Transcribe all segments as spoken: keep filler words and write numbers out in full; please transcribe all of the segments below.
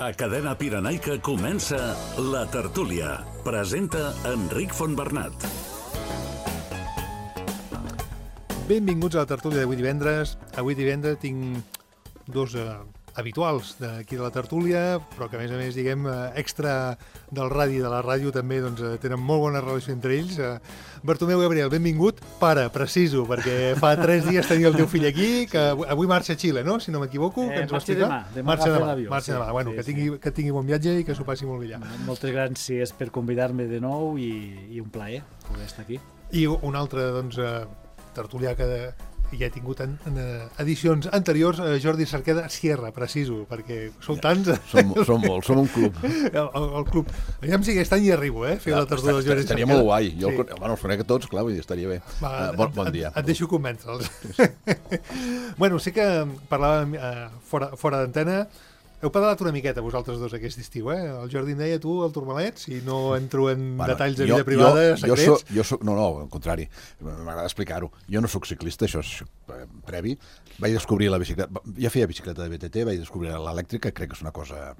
A Cadena Pirenaica comença La Tertúlia. Presenta Enric Fontbernat. Benvinguts a La Tertúlia d'avui divendres. Avui divendres tinc dos eh, habituals d'aquí de La Tertúlia, però que a més a més, diguem, eh, extra del radi, de la ràdio també, doncs, eh, tenen molt bona relació entre ells. Eh, Bartomeu Gabriel, benvingut. Pare, preciso, perquè fa tres dies tenia el teu fill aquí, que avui marxa a Xile, no? Si no m'equivoco, eh, que ens va marxa explicar. demà, demà marxa agafa demà, l'avió. marxa Sí, demà. Bueno, sí, que, sí. tingui, que tingui bon viatge i que s'ho passi molt bé allà. Moltes gràcies per convidar-me de nou i, i un plaer poder estar aquí. I un altre, doncs, eh, tertulià que de, ja he tingut en, en eh, edicions anteriors, eh, Jordi Cerqueda Sierra, preciso, perquè sou tants. Som, som molts, som un club. El, el, el club. Aviam si aquest any hi arribo, eh? Fer la tertúlia de Jordi Estaria Cerqueda. molt guai. Jo, Sí. sí. Bueno, els conec a tots, clar, vull dir, estaria bé. Va, uh, bon, bon dia. Et, et deixo convèncer-los. Bueno, sé que parlàvem eh, fora, fora d'antena. Heu pedalat una miqueta vosaltres dos aquest estiu, eh? El Jordi em deia, tu, el Turmalet, si no entro en Bueno, detalls de jo- vida privada, jo, secrets. Jo soc, jo soc, no, no, al contrari, m'agrada explicar-ho. Jo no sóc ciclista, això és eh, previ. Vaig descobrir la bicicleta, ja feia bicicleta de B T T, vaig descobrir l'elèctrica, crec que és una cosa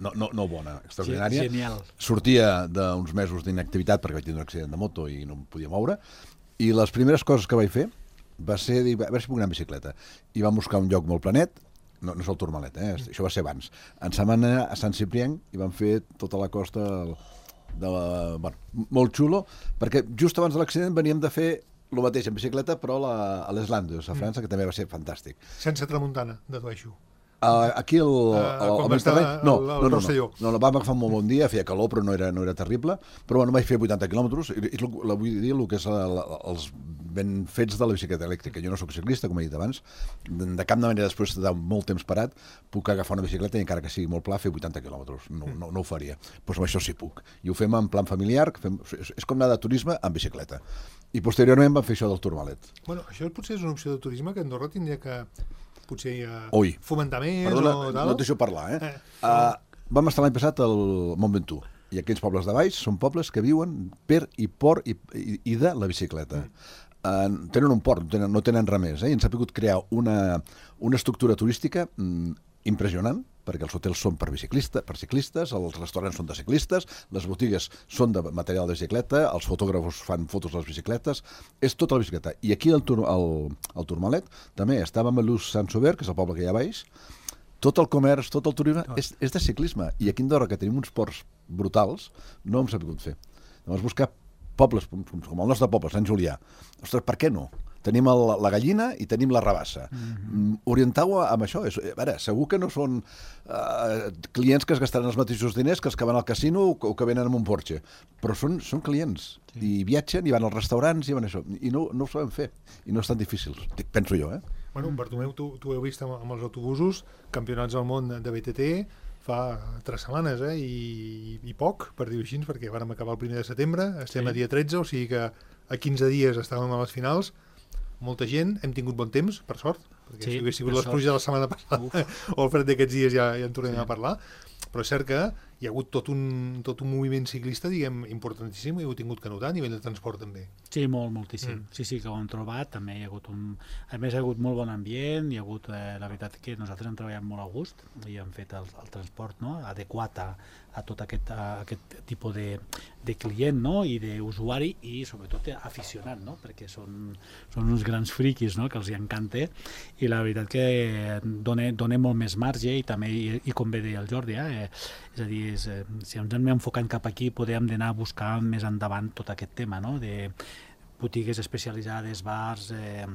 no, no, no bona, extraordinària. Genial. Sortia d'uns mesos d'inactivitat perquè vaig tenir un accident de moto i no em podia moure, i les primeres coses que vaig fer va ser dir, a veure si puc anar en bicicleta. I vam buscar un lloc molt planet, no, no és el Turmalet, eh? Això va ser abans. Ens vam anar a Sant Ciprián i vam fer tota la costa de la, bueno, molt xulo, perquè just abans de l'accident veníem de fer el mateix en bicicleta, però a, la, a les Landes, a França, que també va ser fantàstic. Sense tramuntana, dedueixo. Uh, aquí el, Uh, el, quan el va estar Mediterrani- el- no, el no, no, Rosselló. no, no, vam agafar un molt bon dia, feia calor però no era, no era terrible, però bueno, vaig fer vuitanta quilòmetres, i, i la, vull dir el que és la, la, els ben fets de la bicicleta elèctrica. Jo no sóc ciclista, com he dit abans, de, de cap manera després de molt temps parat puc agafar una bicicleta i encara que sigui molt pla fer vuitanta quilòmetres, no, no, no ho faria. Doncs amb això sí puc. I ho fem en plan familiar, que fem, és, és com anar de turisme en bicicleta. I posteriorment vam fer això del Turmalet. Bueno, això potser és una opció de turisme que Andorra tindria que potser eh, Ui. fomentar més Perdona, o tal. no et deixo parlar, eh? Eh. Uh, vam estar l'any passat al Mont Ventoux, i aquells pobles de baix són pobles que viuen per i por i, i, i de la bicicleta. Uh, tenen un port, no tenen, no tenen res més, eh? I ens ha pogut crear una, una estructura turística mm, impressionant, perquè els hotels són per biciclistes, per ciclistes, els restaurants són de ciclistes, les botigues són de material de bicicleta, els fotògrafos fan fotos de les bicicletes, és tota la bicicleta. I aquí al Tur, al, al Turmalet també estàvem a Luz-Saint-Sauveur, que és el poble que hi ha a baix, tot el comerç, tot el turisme és, és de ciclisme. I aquí a Andorra, que tenim uns ports brutals, no hem sabut fer. Llavors buscar pobles com, com el nostre poble, Sant Julià. Ostres, per què no? Tenim el, la gallina i tenim la rabassa. Mm-hmm. Orientau-ho amb això. És, a veure, segur que no són uh, clients que es gastaran els mateixos diners que els que van al casino o, o que venen amb un Porsche, però són, són clients. Sí. I viatgen, i van als restaurants, i van això. I no, no ho sabem fer. I no és tan difícil, penso jo, eh? Bueno, Bartomeu, tu, tu heu vist amb, amb els autobusos campionats del món de B T T fa tres setmanes, eh? I, i poc, per dir-ho així, perquè vàrem acabar el primer de setembre, estem Sí. a dia tretze, o sigui que a quinze dies estàvem a les finals, molta gent, hem tingut bon temps, per sort, perquè Sí, si hagués sigut per les pluges de la setmana passada o el fred d'aquests dies ja, ja en tornem sí. a parlar, però és cert que hi ha hagut tot un, tot un moviment ciclista, diguem, importantíssim, i ho heu tingut que notar a nivell de transport també. Sí, molt, moltíssim. Mm. Sí, sí, que ho hem trobat. També hi ha hagut un... A més, hi ha hagut molt bon ambient, hi ha hagut, eh, la veritat que nosaltres hem treballat molt a gust i hem fet el, el transport, no?, adequat a, a tot aquest, a aquest tipus de, de client, no?, i d'usuari i sobretot aficionat, no?, perquè són, són uns grans friquis, no?, que els hi encanta, i la veritat que dona, dona molt més marge i també, i, i com bé deia el Jordi, eh, és a dir, és, eh, si ens anem enfocant cap aquí podem anar a buscar més endavant tot aquest tema, no?, de botigues especialitzades, bars, eh,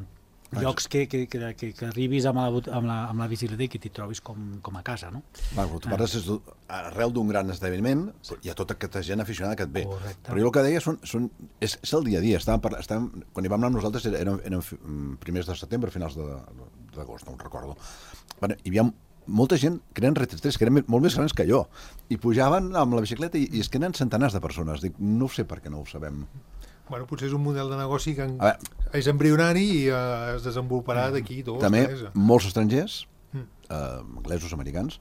llocs que, que, que, que, que arribis amb la, amb la, amb la bicicleta i que t'hi trobis com, com a casa, no? Bueno, tu parles és arrel d'un gran esdeveniment, hi ha tota aquesta gent aficionada que et ve. Correcte. Però jo el que deia són, són, és, és el dia a dia. Estàvem parlant, estàvem, quan hi vam anar amb nosaltres eren, eren primers de setembre, finals de- d'agost, no ho recordo. Bueno, hi havia molta gent que eren retratés, que eren molt més grans que jo, i pujaven amb la bicicleta i, i és que eren centenars de persones. Dic, no sé per què no ho sabem. Bueno, potser és un model de negoci que en... A veure, és embrionari i eh, es desenvoluparà d'aquí dos, també tres. molts estrangers, Mm. eh, anglesos, americans,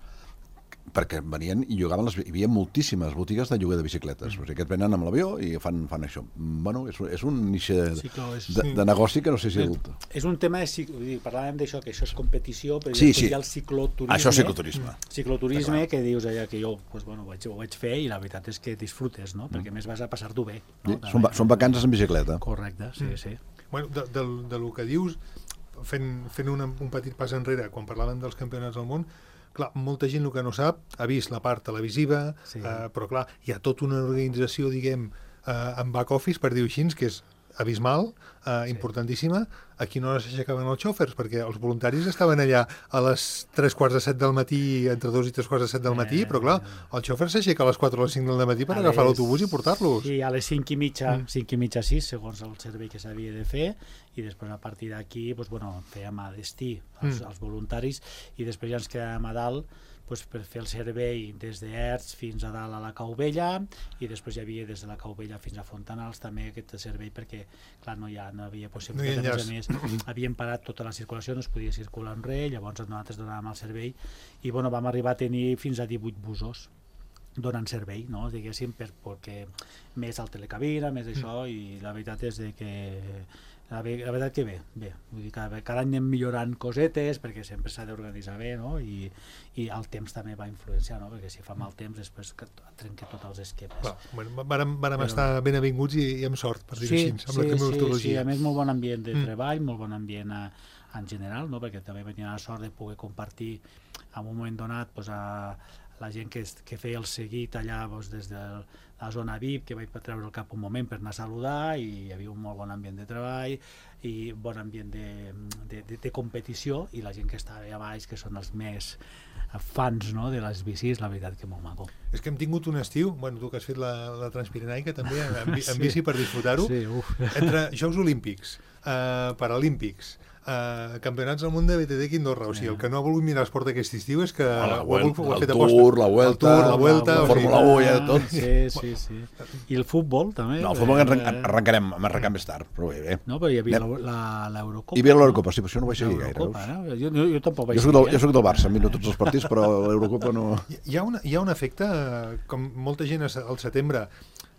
perquè venien i llogaven, les, hi havia moltíssimes botigues de lloguer de bicicletes. Mm. O sigui, que et venen amb l'avió i fan, fan això. Bueno, és, és un niche Sí, clar, és- de, de negoci que no sé si... El... És un tema, de, cic- vull dir, parlàvem d'això, que això és competició, però Sí, després sí. hi ha el cicloturisme. Això és cicloturisme. Cicloturisme, que dius allà que jo pues, bueno, ho, vaig, ho vaig fer i la veritat és que disfrutes, no? Perquè a més vas a passar-t'ho bé. No? Sí, són, va- són vacances en bicicleta. Correcte, sí, Mm. sí. Bueno, de, de, de lo que dius, fent, fent una, un petit pas enrere, quan parlàvem dels campionats del món, clar, molta gent el que no sap ha vist la part televisiva, Sí. eh, però clar, hi ha tota una organització, diguem, eh, en back office, per dir-ho així, que és abismal, eh, importantíssima. A quina hora s'aixecaven els xòfers? Perquè els voluntaris estaven allà a les tres quarts de set del matí, entre dos i tres quarts de set del matí, Eh, però clar, el xòfer s'aixeca a les quatre o les cinc del matí per A agafar les- l'autobús i portar-los. Sí, a les cinc i mitja, Mm. cinc i mitja, sis, segons el servei que s'havia de fer, i després a partir d'aquí, doncs, bueno, fèiem a destí els, Mm. els voluntaris, i després ja ens quedàvem a dalt doncs, per fer el servei des d'Erts fins a dalt a la Cau Vella, i després hi havia des de la Cau Vella fins a Fontanals també aquest servei, perquè clar, no hi, ha, no havia possibilitat, No hi ha a més a més havien parat tota la circulació, no es podia circular en res, llavors nosaltres donàvem el servei, i bueno, vam arribar a tenir fins a divuit busos donant servei, no? Diguéssim, per, perquè més al telecabina, més això, i la veritat és de que la, ve- la veritat que bé, bé. Vull dir, cada, cada any anem millorant cosetes, perquè sempre s'ha d'organitzar bé, no? I, i el temps també va influenciar, no? Perquè si fa mal temps després que trenca tots els esquemes. Clar, bueno, vàrem, vàrem Però- estar ben avinguts i, i amb sort, per dir-ho així, amb la sí, sí, climatologia. a més molt bon ambient de Mm. treball, molt bon ambient a, en general, no? Perquè també vaig tenir la sort de poder compartir en un moment donat pues, a la gent que, es- que feia el seguit allà pues, des de la zona V I P, que vaig treure el cap un moment per anar a saludar, i hi havia un molt bon ambient de treball i bon ambient de, de, de, de competició, i la gent que estava allà baix, que són els més fans, no?, de les bicis, la veritat que molt maco. És que hem tingut un estiu, bueno, tu que has fet la, la Transpirenaica també, en, bi- en Sí. bici per disfrutar-ho, Sí, uf. entre Jocs Olímpics, eh, Paralímpics, eh, Campionats del món de B T T Quindorra, o sigui, el que no ha volgut mirar esport aquest estiu és que La ho ha, volgut- ho ha el fet Tour, aposta. la Vuelta, el Tour, la Vuelta, la o sigui, Fórmula u, ja tot. Sí, sí, sí. I el futbol, també. No, el futbol arran eh, arrencarem, arrencarem més tard, però bé, bé. No, però hi havia Anem. la- la- l'Eurocopa. Hi havia l'Eurocopa, sí, però això no ho vaig seguir gaire. L'Eurocopa, veus? no? Jo, jo, jo tampoc vaig Jo soc, del, seguir, jo soc del Barça, miro tots els partits, però l'Eurocopa no... Hi ha, una, hi ha un efecte, eh, com molta gent a- al setembre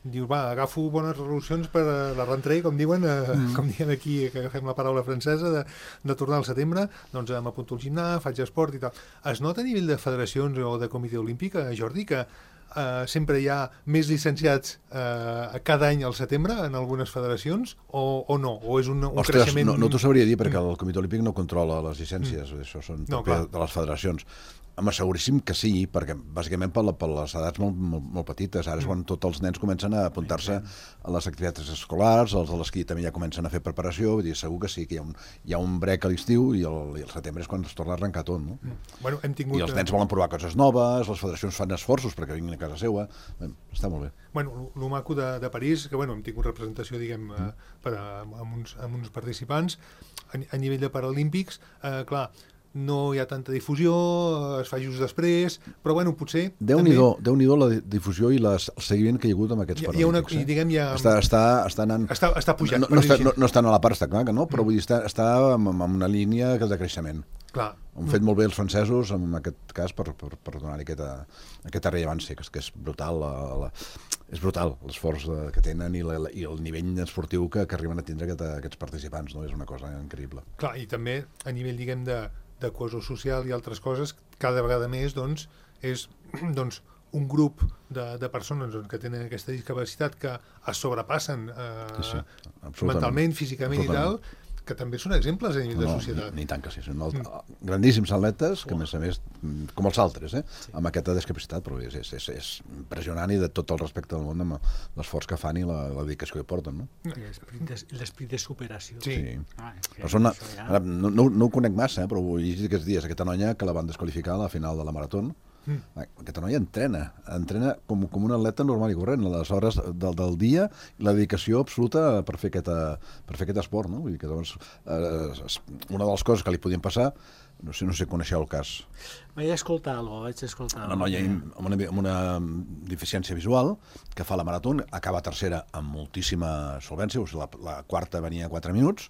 diu, va, agafo bones resolucions per a la rentrée, com diuen, eh, mm. com diuen aquí, que agafem la paraula francesa, de, de tornar al setembre, doncs m'apunto al gimnàs, faig esport i tal. Es nota a nivell de federacions o de comitè olímpic, eh, Jordi, que eh, sempre hi ha més llicenciats eh, cada any al setembre en algunes federacions, o, o no? O és un, un Ostres, creixement... no, no t'ho sabria dir, perquè el Comitè Olímpic no controla les llicències, mm. això són No, propi clar. de les federacions. Home, seguríssim que sí, perquè bàsicament per, la, per les edats molt, molt, molt petites. Ara és quan tots els nens comencen a apuntar-se a les activitats escolars, els de l'esquí també ja comencen a fer preparació, vull dir, segur que sí, que hi ha un, hi ha un brec a l'estiu i, el, i el setembre és quan es torna a arrencar tot, no? Bueno, hem tingut... I els nens volen provar coses noves, les federacions fan esforços perquè vinguin a casa seva. Bé, està molt bé. Bueno, el maco de, de París, que bueno, hem tingut representació, diguem, eh, per a, amb, uns, amb uns participants. A, a nivell de Paralímpics, eh, clar, no hi ha tanta difusió, eh, es fa just després, però bueno, potser... Déu-n'hi-do, Déu-n'hi-do la difusió i la, el seguiment que hi ha hagut amb aquests Hi ha- hi ha una- paralímpics. i diguem, hi ha- Està, està, està anant... Està, està pujant. no, per no, dir-ho està, no, així. no està a la part, està clar que no, però vull dir, està, està amb, amb una línia de creixement. Clar. Han fet molt bé els francesos, en aquest cas, per, per, per donar-hi aquesta, aquesta rellevància, que és, que és brutal, la, la, és brutal l'esforç de- que tenen i, la, i el nivell esportiu que, que arriben a tindre aquest, aquests participants, no? És una cosa increïble. Clar, i també a nivell, diguem, de, de cohesió social i altres coses, cada vegada més, doncs, és doncs, un grup de, de persones doncs, que tenen aquesta discapacitat que es sobrepassen eh, Sí, sí, absolutament. mentalment, físicament Absolutament. i tal, que també són exemples a nivell de No, societat. ni, ni tant que sí, són alt, grandíssims atletes, que a més a més, com els altres, eh? Sí. Amb aquesta discapacitat, però és, és, és, és impressionant i de tot el respecte del món amb l'esforç que fan i la, la dedicació que porten, no? I l'esperit de, l'esperit de superació. Sí. Sí. Ah, és que Però són una, això ja- ara, no, no, no ho conec massa, eh, però ho he llegit aquests dies, aquesta noia que la van desqualificar a la final de la marató. Mm. Aquesta noia entrena, entrena com, com un atleta normal i corrent, a les hores del, del dia, i la dedicació absoluta per fer, aquesta, per fer aquest esport, no? Vull dir que, doncs, eh, una de les coses que li podien passar, no sé, no sé, coneixeu el cas, Vaig escoltar alguna cosa, vaig escoltar una noia amb una, amb una deficiència visual que fa la marató, acaba tercera amb moltíssima solvència, o sigui, la, la quarta venia a quatre minuts,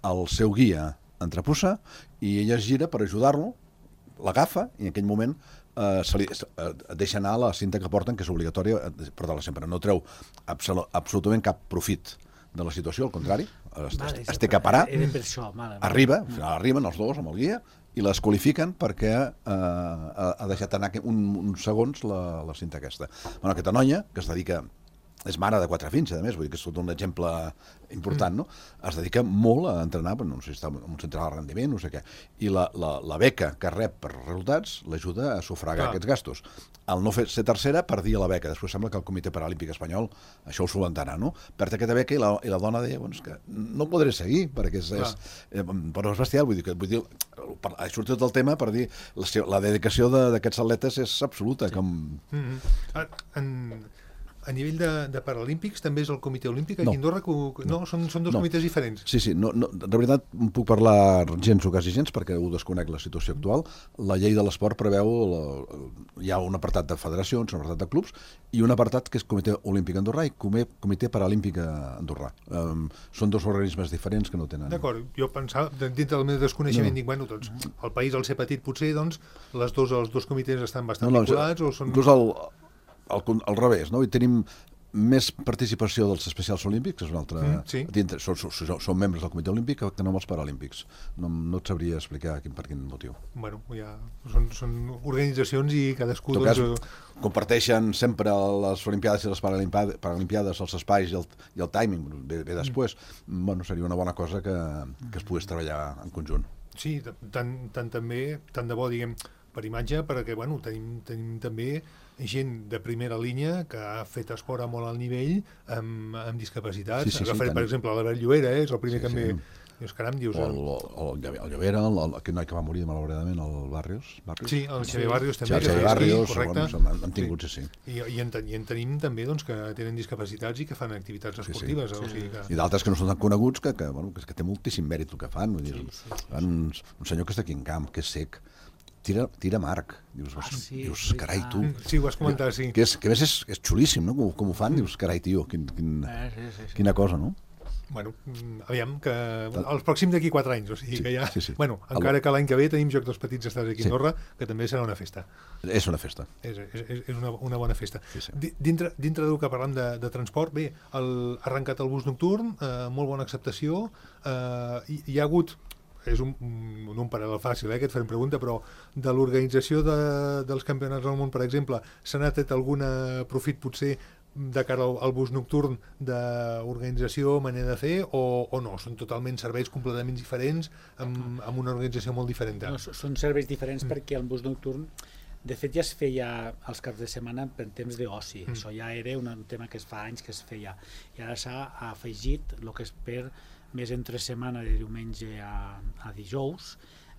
el seu guia entrepussa i ella es gira per ajudar-lo, l'agafa i en aquell moment eh, se li, eh, deixa anar la cinta que porten, que és obligatòria portar-la sempre. No treu absol absolutament cap profit de la situació, al contrari, es, vale, es, es té que parar, per això, vale, arriba, al final arriben els dos amb el guia i les qualifiquen perquè eh, ha deixat anar un, uns segons la, la cinta aquesta. Bueno, aquesta noia, que es dedica, és mare de quatre fills, a més, vull dir que és tot un exemple important, no? Es dedica molt a entrenar, no sé si està en un centre de rendiment, no sé què, i la, la, la beca que rep per resultats l'ajuda a sufragar ah. aquests gastos. Al no fer, ser tercera, perdia la beca. Després sembla que el Comitè Paralímpic Espanyol això ho solventarà, no? Perd aquesta beca i la, i la dona deia, bueno, és que no podré seguir, perquè és, és, eh, però és bestial, vull dir, que, vull dir ha sortit del tema per dir la, la dedicació d'aquests atletes és absoluta. Sí. Com... Mm-hmm. En... A nivell de, de Paralímpics també és el Comitè Olímpic aquí a Andorra? Que, no, no, són, són dos no. comitès diferents. Sí, sí, no, no, de veritat no puc parlar gens o quasi gens perquè ho desconec la situació actual. La llei de l'esport preveu, la, hi ha un apartat de federacions, un apartat de clubs i un apartat que és Comitè Olímpic Andorrà i Comitè Paralímpic Andorrà. Um, són dos organismes diferents que no tenen... D'acord, jo pensava, dintre del meu desconeixement, no. dic, bueno, doncs, el país al ser petit potser, doncs, les dos, els dos comitès estan bastant no, no, vinculats o són... Inclús el... Al, al revés, no? I tenim més participació dels especials olímpics, que és un altre... Mm, sí. dintre, són, són, són membres del Comitè Olímpic que no amb els Paralímpics. No, no et sabria explicar quin, per quin motiu. Bueno, ja són, són organitzacions i cadascú... En tot doncs, cas, comparteixen sempre les Olimpiades i les Paralimpiades, els espais i el, i el timing, ve, ve després. Mm. Bueno, seria una bona cosa que, que es pogués treballar en conjunt. Sí, tant, tant també, tant de bo, diguem, per imatge, perquè, bueno, tenim, tenim també gent de primera línia que ha fet esport a molt alt nivell amb, amb discapacitats. Sí, sí, Agafaré, sí, per exemple, l'Albert Llobera, eh, és el primer sí, que sí. em... Dius, caram, dius... O el, el, el Llobera, el, el, aquell noi que va morir malauradament, el Barrios. Barrios? Sí, el Xavier Barrios també. Sí, el Xavier Barrios, correcte. Bueno, han tingut, sí. sí. I, i, en, I en tenim també doncs, que tenen discapacitats i que fan activitats esportives. Sí, sí. O sigui que... I d'altres que no són tan coneguts, que, que, bueno, que, que té moltíssim mèrit el que fan. Vull dir, sí, sí, sí. Un, un senyor que està aquí en camp, que és sec, tira, tira Marc. Dius, ah, sí, dius carai, tu. Sí, ho has comentat, sí. Que, és, que a més és, és xulíssim, no? Com, com ho fan, dius, carai, tio, quin, quin, eh, sí, sí, sí. quina cosa, no? Bueno, aviam, que els pròxims d'aquí quatre anys, o sigui sí, que ja... Sí, sí. Bueno, encara que l'any que ve tenim Joc dels Petits Estats aquí a Andorra, sí. que també serà una festa. És una festa. És, és, és una, una bona festa. Sí, sí. Dintre, dintre del que parlam de, de transport, bé, el, ha arrencat el bus nocturn, eh, molt bona acceptació, eh, hi, hi ha hagut... és un, un, un paral·lel fàcil, eh, que et farem pregunta, però de l'organització de, dels campionats del món, per exemple, se n'ha tret algun profit potser de cara al, al bus nocturn d'organització, manera de fer, o, o no? Són totalment serveis completament diferents, amb, amb una organització molt diferent. No, són serveis diferents mm. perquè el bus nocturn, de fet, ja es feia els caps de setmana per temps d'oci. Mm. Això ja era un tema que es fa anys que es feia. I ara s'ha afegit el que és per més entre setmana, de diumenge a, a dijous,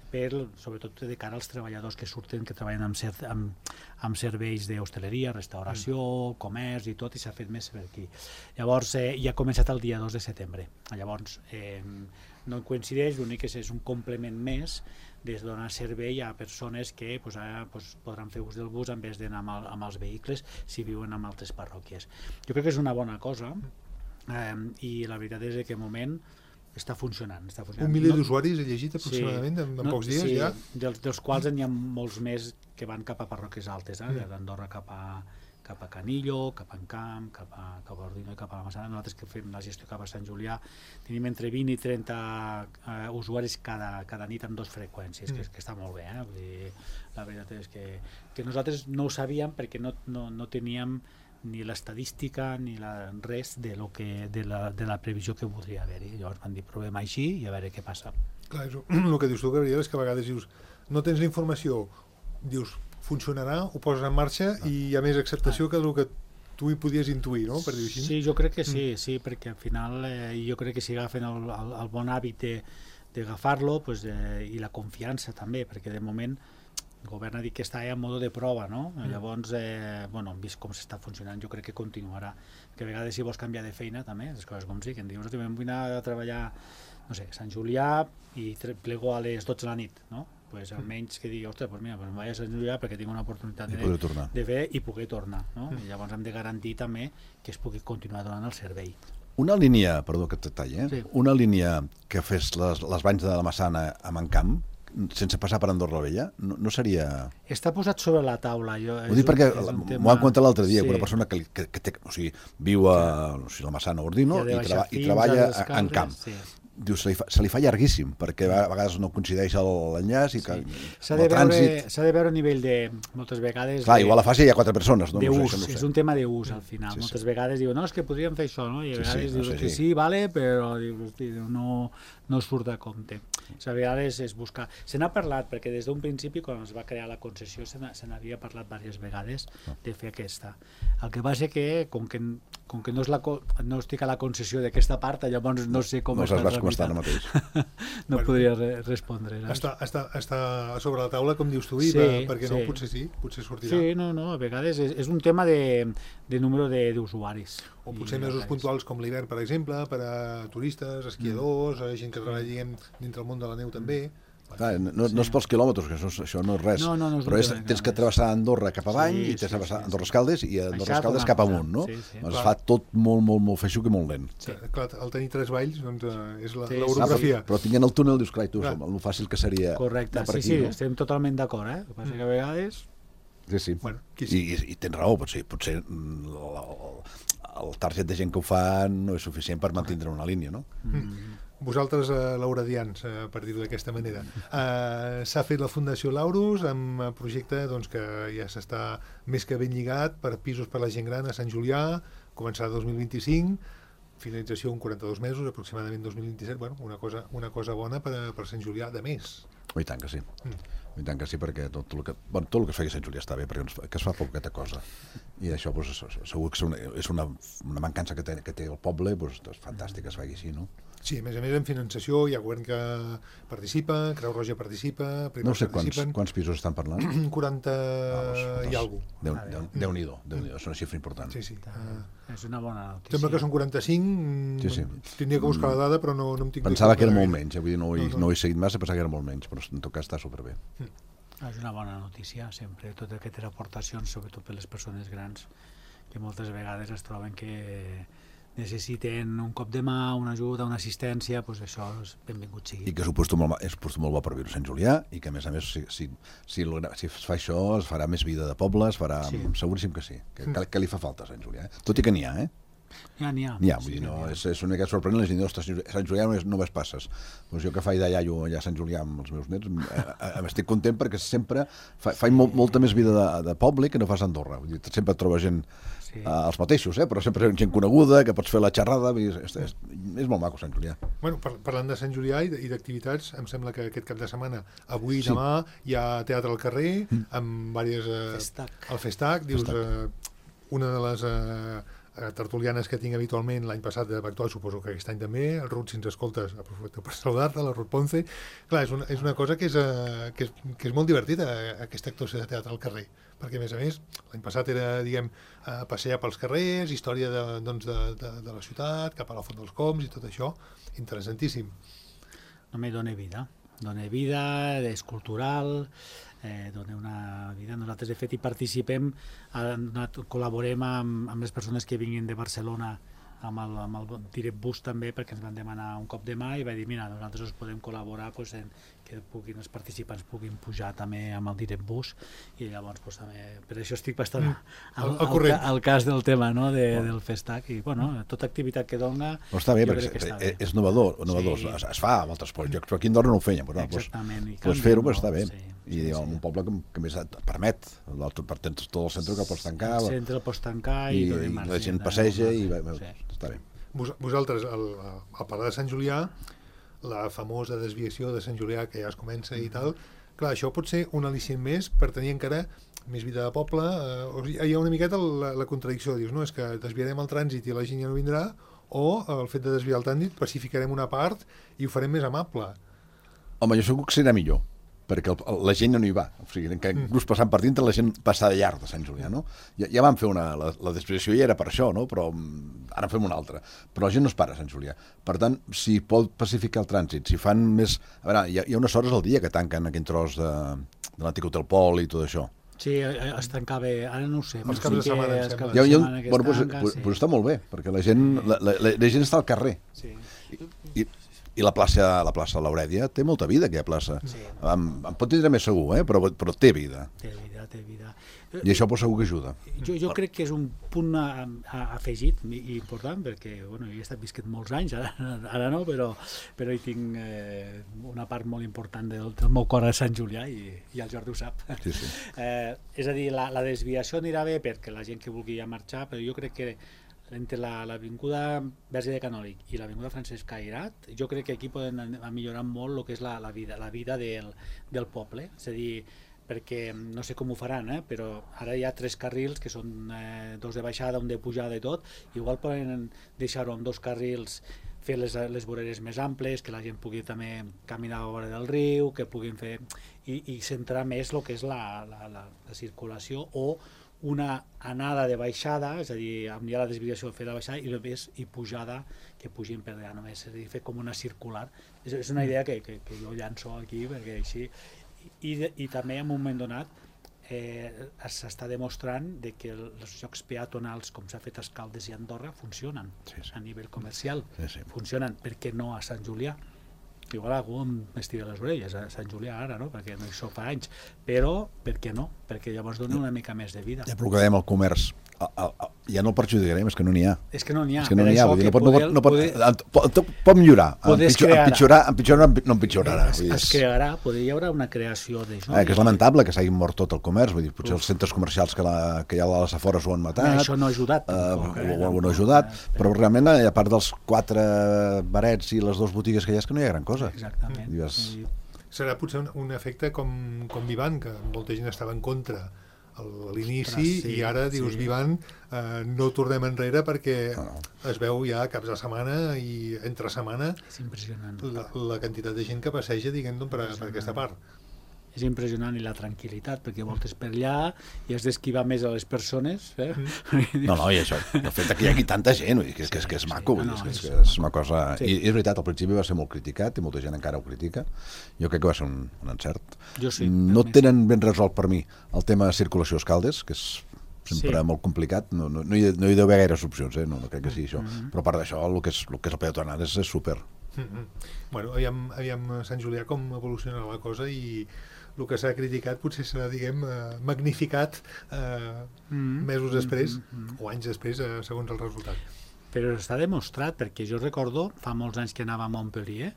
per, sobretot de cara als treballadors que surten, que treballen amb, ser, amb, amb serveis d'hostaleria, restauració, mm. comerç i tot, i s'ha fet més per aquí. Llavors, eh, ja ha començat el dia dos de setembre. Llavors, eh, no coincideix, l'únic que és un complement més de donar servei a persones que pues, ara, pues, podran fer ús del bus en vez d'anar amb, amb els vehicles si viuen en altres parròquies. Jo crec que és una bona cosa, eh, i la veritat és que de moment està funcionant, està funcionant. Un miler no, d'usuaris he llegit aproximadament sí, en, en no, pocs dies sí, ja? Dels, dels quals n'hi ha molts més que van cap a parròquies altes, eh? mm. d'Andorra cap a, cap a Canillo, cap a Encamp, cap a, cap a Ordino i cap a la Massana. Nosaltres que fem la gestió cap a Sant Julià tenim entre vint i trenta uh, usuaris cada, cada nit amb dues freqüències, mm. que, que està molt bé. Eh? Vull dir, la veritat és que, que nosaltres no ho sabíem perquè no, no, no teníem ni l'estadística ni la, res de, lo que, de, la, de la previsió que podria haver-hi. Llavors van dir, provem així i a veure què passa. Clar, és, el que dius tu, Gabriel, és que a vegades dius, no tens la informació, dius, funcionarà, ho poses en marxa ah. i hi ha més acceptació ah. que el que tu hi podies intuir, no? Per dir-ho així. Sí, jo crec que sí, mm. sí, perquè al final eh, jo crec que si agafen el, el, el bon hàbit d'agafar-lo pues, eh, i la confiança també, perquè de moment el govern ha dit que està en mode de prova, no? Mm. Llavors, eh, bueno, hem vist com s'està funcionant, jo crec que continuarà. Que a vegades si vols canviar de feina també, les coses com sí, que em dius, em vull anar a treballar, no sé, Sant Julià i plego a les dotze de la nit, no? Pues almenys que digui, ostres, pues mira, pues em vaig a Sant Julià perquè tinc una oportunitat de, de fer i poder tornar, no? Mm. I llavors hem de garantir també que es pugui continuar donant el servei. Una línia, perdó que et talli, eh? Sí. Una línia que fes les, les banys de la Massana amb Encamp, sense passar per Andorra la Vella, no, no seria... Està posat sobre la taula. Jo, Ho dic perquè m'ho han contat l'altre dia, sí. una persona que, que, que té, o sigui, viu a o sigui, la Massana Ordino i, treba, i treballa en camp. Sí. Diu, se li, fa, se li fa llarguíssim, perquè a vegades no coincideix l'enllaç i que sí. S'ha de, de veure a nivell de, moltes vegades... Clar, de, igual a fase hi ha quatre persones, no? D'ús, no sé, no és un tema d'ús al final. Sí, moltes sí. vegades diuen, no, és que podríem fer això, no? I a vegades sí, sí, dius no sé, que sí, sí, vale, però dius, no, no surt de compte. A vegades és buscar... Se n'ha parlat, perquè des d'un principi, quan es va crear la concessió, se n'havia parlat diverses vegades de fer aquesta. El que va ser que, com que, com que no, és la, no estic a la concessió d'aquesta part, llavors no sé com no està tramitant. Com està ara mateix. No bueno, podria re respondre. Està, està, està sobre la taula, com dius tu, i sí, perquè sí. no, potser sí, potser sortirà. Sí, no, no, a vegades és, és un tema de, de número d'usuaris. O potser mesos puntuals com l'hivern, per exemple, per a turistes, esquiadors, mm. gent que treballa, diguem, dintre el món de la neu també. Clar, no, no és pels quilòmetres, que això, això no és res, no, no, no és però és, tens que travessar Andorra cap avall sí, i tens que travessar sí, Andorra Escaldes i Andorra Escaldes cap amunt, no? Sí, sí. Es fa tot molt, molt, molt feixuc i molt lent. Sí. Clar, el tenir tres valls doncs, és l'orografia. Sí. Però tinguent el túnel, dius, clar, tu, el fàcil que seria... Correcte, sí, aquí, sí, no? Estem totalment d'acord, eh? El que passa que a vegades... Sí, sí. Bueno, I, i, I tens raó, potser, potser el, el target de gent que ho fa no és suficient per mantindre una línia, no? Mm. Vosaltres, eh, lauradians, eh, per dir-ho d'aquesta manera, eh, s'ha fet la Fundació Laurus amb un projecte doncs, que ja s'està més que ben lligat per pisos per la gent gran a Sant Julià, començar dos mil vint-i-cinc, finalització en quaranta-dos mesos, aproximadament dos mil vint-i-set, bueno, una cosa, una cosa bona per, per Sant Julià de més. Oh, I tant que sí. Mm. I tant que sí, perquè tot el que, bueno, tot el que es feia a Sant Julià està bé, perquè ens, que es fa poqueta cosa. I això doncs, segur que és una, és una, una mancança que té, que té el poble, doncs, és fantàstic que es faci així, no? Sí, a més a més en finançació hi ha govern que participa, Creu Roja participa, no sé quants, quants pisos estan parlant. quaranta ah, i alguna cosa. Déu, Déu, Déu-n'hi-do, Déu és una xifra important. Sí, sí. Uh, és una bona notícia. Sembla que són quaranta-cinc, sí, sí. Tindria que buscar la dada, però no, no em tinc... Pensava que era molt menys, eh? Vull dir, no, ho he, no, no. no ho he seguit massa, pensava que era molt menys, però en tot cas està superbé. Mm. És una bona notícia, sempre, totes aquestes aportacions, sobretot per les persones grans, que moltes vegades es troben que necessiten un cop de mà, una ajuda, una assistència, doncs això és benvingut sigui. I que és un puesto molt, és un puesto molt bo per viure a Sant Julià i que a més a més si, si, si, si es fa això es farà més vida de poble, es farà, sí. Seguríssim que sí, que, que, que li fa falta a Sant Julià, eh? Tot i que n'hi ha, eh? Ja n'hi ha. N'hi ha, vull sí, dir, no, és, és una mica sorprenent, les gent, ostres, Sant Julià no, no ves passes. Doncs jo que faig de iaio allà a Sant Julià amb els meus nets, m'estic content perquè sempre fa, faig molt, molta més vida de, de poble que no fas a Andorra. Vull dir, sempre et trobes gent, sí. uh, els mateixos, eh? Però sempre gent coneguda, que pots fer la xerrada, és, és, és, és molt maco Sant Julià. Bueno, par parlant de Sant Julià i d'activitats, em sembla que aquest cap de setmana, avui i sí. demà, hi ha teatre al carrer, mm. amb diverses... Uh, Festac. El Festac, dius, uh, una de les... Uh, tertulianes que tinc habitualment, l'any passat va actuar, suposo que aquest any també, el Ruth, si ens escoltes, aprofito per saludar-te, la Ruth Ponce. Clar, és una, és una cosa que és, uh, que, és, que és molt divertida, aquesta actuació de teatre al carrer, perquè a més a més, l'any passat era, diguem, uh, passejar pels carrers, història de, doncs, de, de, de la ciutat, cap a la Font dels Coms i tot això, interessantíssim. No me dona vida, dona vida, és cultural, eh, dona una vida. Nosaltres, de fet, hi participem, eh, col·laborem amb, amb les persones que vinguin de Barcelona amb el, amb el Direct Bus també, perquè ens van demanar un cop de mà i va dir, mira, nosaltres us podem col·laborar pues, en, que puguin, els participants puguin pujar també amb el Direct Bus i llavors pues, també, per això estic bastant al, al, al, al cas del tema, no? de, oh. del Festac i bueno, tota activitat que dona però està bé, perquè és, bé. és novedor, novedor. Sí. es, es fa a altres llocs, però aquí a Andorra no ho feien però, exactament doncs, doncs fer-ho pues, està bé sí. i sí, sí. un poble que, que més et permet per tens tot el centre que pots tancar el centre el pots tancar i, i, i la gent passeja i va, sí. està bé. Vos, vosaltres, al, al parlar de Sant Julià, la famosa desviació de Sant Julià que ja es comença i tal, clar, això pot ser un al·licient més per tenir encara més vida de poble, eh, hi ha una miqueta la, la contradicció, dius, no, és que desviarem el trànsit i la gent ja no vindrà, o el fet de desviar el trànsit pacificarem una part i ho farem més amable. Home, jo segur que serà millor, perquè el, la gent no hi va, o sigui, que inclús passant per dintre la gent passa de llarg de Sant Julià, no? Ja, ja vam fer una, la, la desviació ja era per això, no? Però ara fem una altra, però la gent no es para a Sant Julià, per tant, si pot pacificar el trànsit, si fan més... A veure, hi ha, hi ha unes hores al dia que tanquen aquell tros de, de l'antic Hotel Pol i tot això. Sí, es tancava, ara no ho sé. Els caps de setmana, els caps de setmana bueno, pues, tanca, pues, sí. Pues està molt bé, perquè la gent, la, la, la gent està al carrer. Sí. I, i, I la plaça, la plaça Laurèdia té molta vida, aquella plaça. Sí. Em, em pot tindre més segur, eh? però, però té vida. Té vida, té vida. I això pues, segur que ajuda. Jo, jo crec que és un punt a, a, afegit i important, perquè bueno, jo he estat visquet molts anys, ara, ara no, però, però hi tinc eh, una part molt important del, del meu cor a Sant Julià i, i el Jordi ho sap. Sí, sí. Eh, és a dir, la, la desviació anirà bé perquè la gent que vulgui ja marxar, però jo crec que entre l'avinguda Verge de Canòlic i l'avinguda Francesc Cairat, jo crec que aquí poden millorar molt el que és la, la vida, la vida del, del poble. És a dir, perquè no sé com ho faran, eh? Però ara hi ha tres carrils que són eh, dos de baixada, un de pujada i tot, igual poden deixar-ho amb dos carrils, fer les, les voreres més amples, que la gent pugui també caminar a la vora del riu, que puguin fer i, i centrar més el que és la, la, la, la circulació o una anada de baixada, és a dir, amb ja la desviació fer la baixada i només i pujada que pugin per allà només, és a dir, fer com una circular. És, és una idea que, que, que jo llanço aquí perquè així I, i també en un moment donat eh, s'està demostrant de que els jocs peatonals com s'ha fet a Escaldes i a Andorra funcionen sí, sí. a nivell comercial, sí, sí. funcionen, per què no a Sant Julià? Igual algú m'estira les orelles a Sant Julià ara, no? Perquè no hi soc fa anys, però per què no? Perquè llavors dona una mica més de vida. Ja, però que dèiem el comerç, a, a, a, ja no el perjudicarem, és que no n'hi ha. És que no n'hi ha. És que no n'hi ha, no pot, no pot, no pot, pot, pot millorar, empitjorar, empitjorar no empitjorarà. Es, es crearà, potser hi haurà una creació d'això. Eh, que és lamentable que s'hagi mort tot el comerç, vull dir, potser els centres comercials que, la, que hi ha a les afores ho han matat. Eh, això no ha ajudat. Eh, tampoc, eh, ho, ho no ha ajudat, eh, però realment, a part dels quatre barets i les dues botigues que hi ha, és que no hi ha gran cosa. Exactament. Dius... Serà potser un, un efecte com, com Vivan, que molta gent estava en contra a l'inici sí, i ara dius sí. Vivan, eh, no tornem enrere perquè no, no. es veu ja caps de setmana i entre setmana és impressionant. La, la quantitat de gent que passeja, diguem, per, per aquesta part. És impressionant, i la tranquil·litat, perquè voltes per allà i has d'esquivar més a les persones. Eh? Mm. No, no, i això, el fet que hi hagi tanta gent, vull dir, que, és, que, és, que és sí, maco, vull dir, no, no, és, que és una cosa... Sí. I, I és veritat, al principi va ser molt criticat, i molta gent encara ho critica. Jo crec que va ser un, un encert. Jo sí. No tenen ben resolt per mi el tema de circulació a Escaldes, que és sempre sí. molt complicat, no, no, no, hi, no hi deu haver gaires opcions, eh? no, no crec que sigui això, mm-hmm. però a part d'això, el que és, el que és el peatonal és, és súper. Mm-hmm. Bueno, aviam, aviam Sant Julià com evoluciona la cosa i el que s'ha criticat potser serà, diguem, eh, magnificat eh, mm-hmm. mesos després mm-hmm. o anys després, eh, segons el resultat. Però està demostrat, perquè jo recordo, fa molts anys que anava a Montpellier,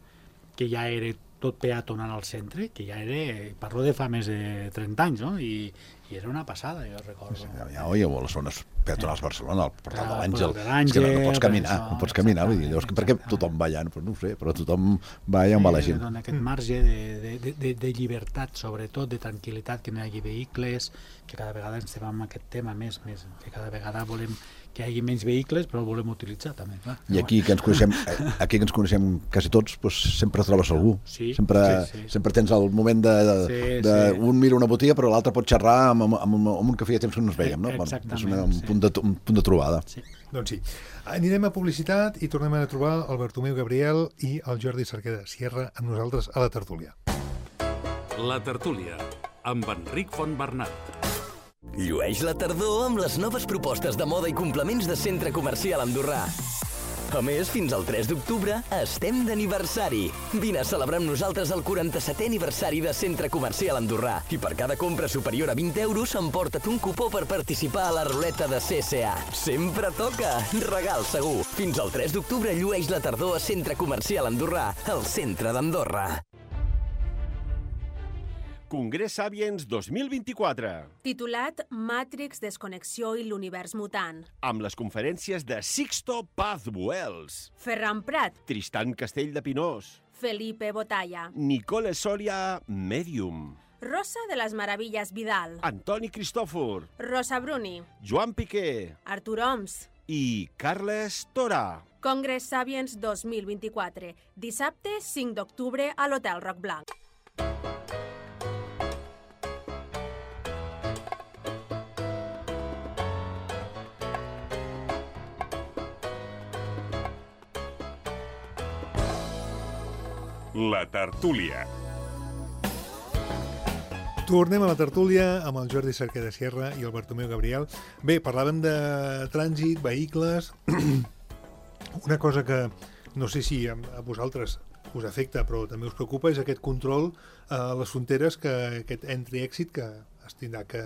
que ja era tot peatonal al centre, que ja era, parlo de fa més de trenta anys, no? I, i era una passada, jo recordo. Sí, ja, ja oi, a les zones peatonals Barcelona, el portal de l'Àngel, és que no, no pots caminar, això, no pots caminar, vull dir, llavors, per què tothom va allà? No, no ho sé, però tothom va allà on va la gent. Dona aquest marge de, de, de, de llibertat, sobretot, de tranquil·litat, que no hi hagi vehicles, que cada vegada ens estem amb aquest tema més, més, que cada vegada volem que hi hagi menys vehicles, però el volem utilitzar també, clar. I aquí que ens coneixem, aquí que ens coneixem quasi tots, doncs sempre trobes algú. Sí, sempre, sí, sí. sempre tens el moment de, de, sí, de sí. un mira una botiga, però l'altre pot xerrar amb, amb, amb, amb un que feia temps que no ens veiem, no? Exactament, és una, un, sí. punt de, un punt de trobada. Sí. Doncs sí. Anirem a publicitat i tornem a trobar el Bartomeu Gabriel i el Jordi Cerqueda Sierra amb nosaltres a la tertúlia. La tertúlia, amb Enric Fontbernat. Llueix la tardor amb les noves propostes de moda i complements de Centre Comercial Andorrà. A més, fins al tres d'octubre estem d'aniversari. Vine a celebrar amb nosaltres el quaranta-setè aniversari de Centre Comercial Andorrà i per cada compra superior a vint euros emporta't un cupó per participar a la ruleta de C C A. Sempre toca! Regal segur! Fins al tres d'octubre llueix la tardor a Centre Comercial Andorrà, al centre d'Andorra. Congrés Sapiens dos mil vint-i-quatre. Titulat Matrix, Desconnexió i l'univers mutant. Amb les conferències de Sixto Paz Buells, Ferran Prat, Tristan Castell de Pinós, Felipe Botalla, Nicole Soria, Medium, Rosa de les Meravilles Vidal, Antoni Cristòfor, Rosa Bruni, Joan Piqué Artur Oms i Carles Tora. Congrés Sapiens dos mil vint-i-quatre. Dissabte cinc d'octubre a l'Hotel Roc Blanc. La tertúlia. Tornem a la tertúlia amb el Jordi Cerqueda Sierra i el Bartomeu Gabriel. Bé, parlàvem de trànsit, vehicles... Una cosa que no sé si a vosaltres us afecta, però també us preocupa, és aquest control a les fronteres, que aquest entry-exit que es tindrà que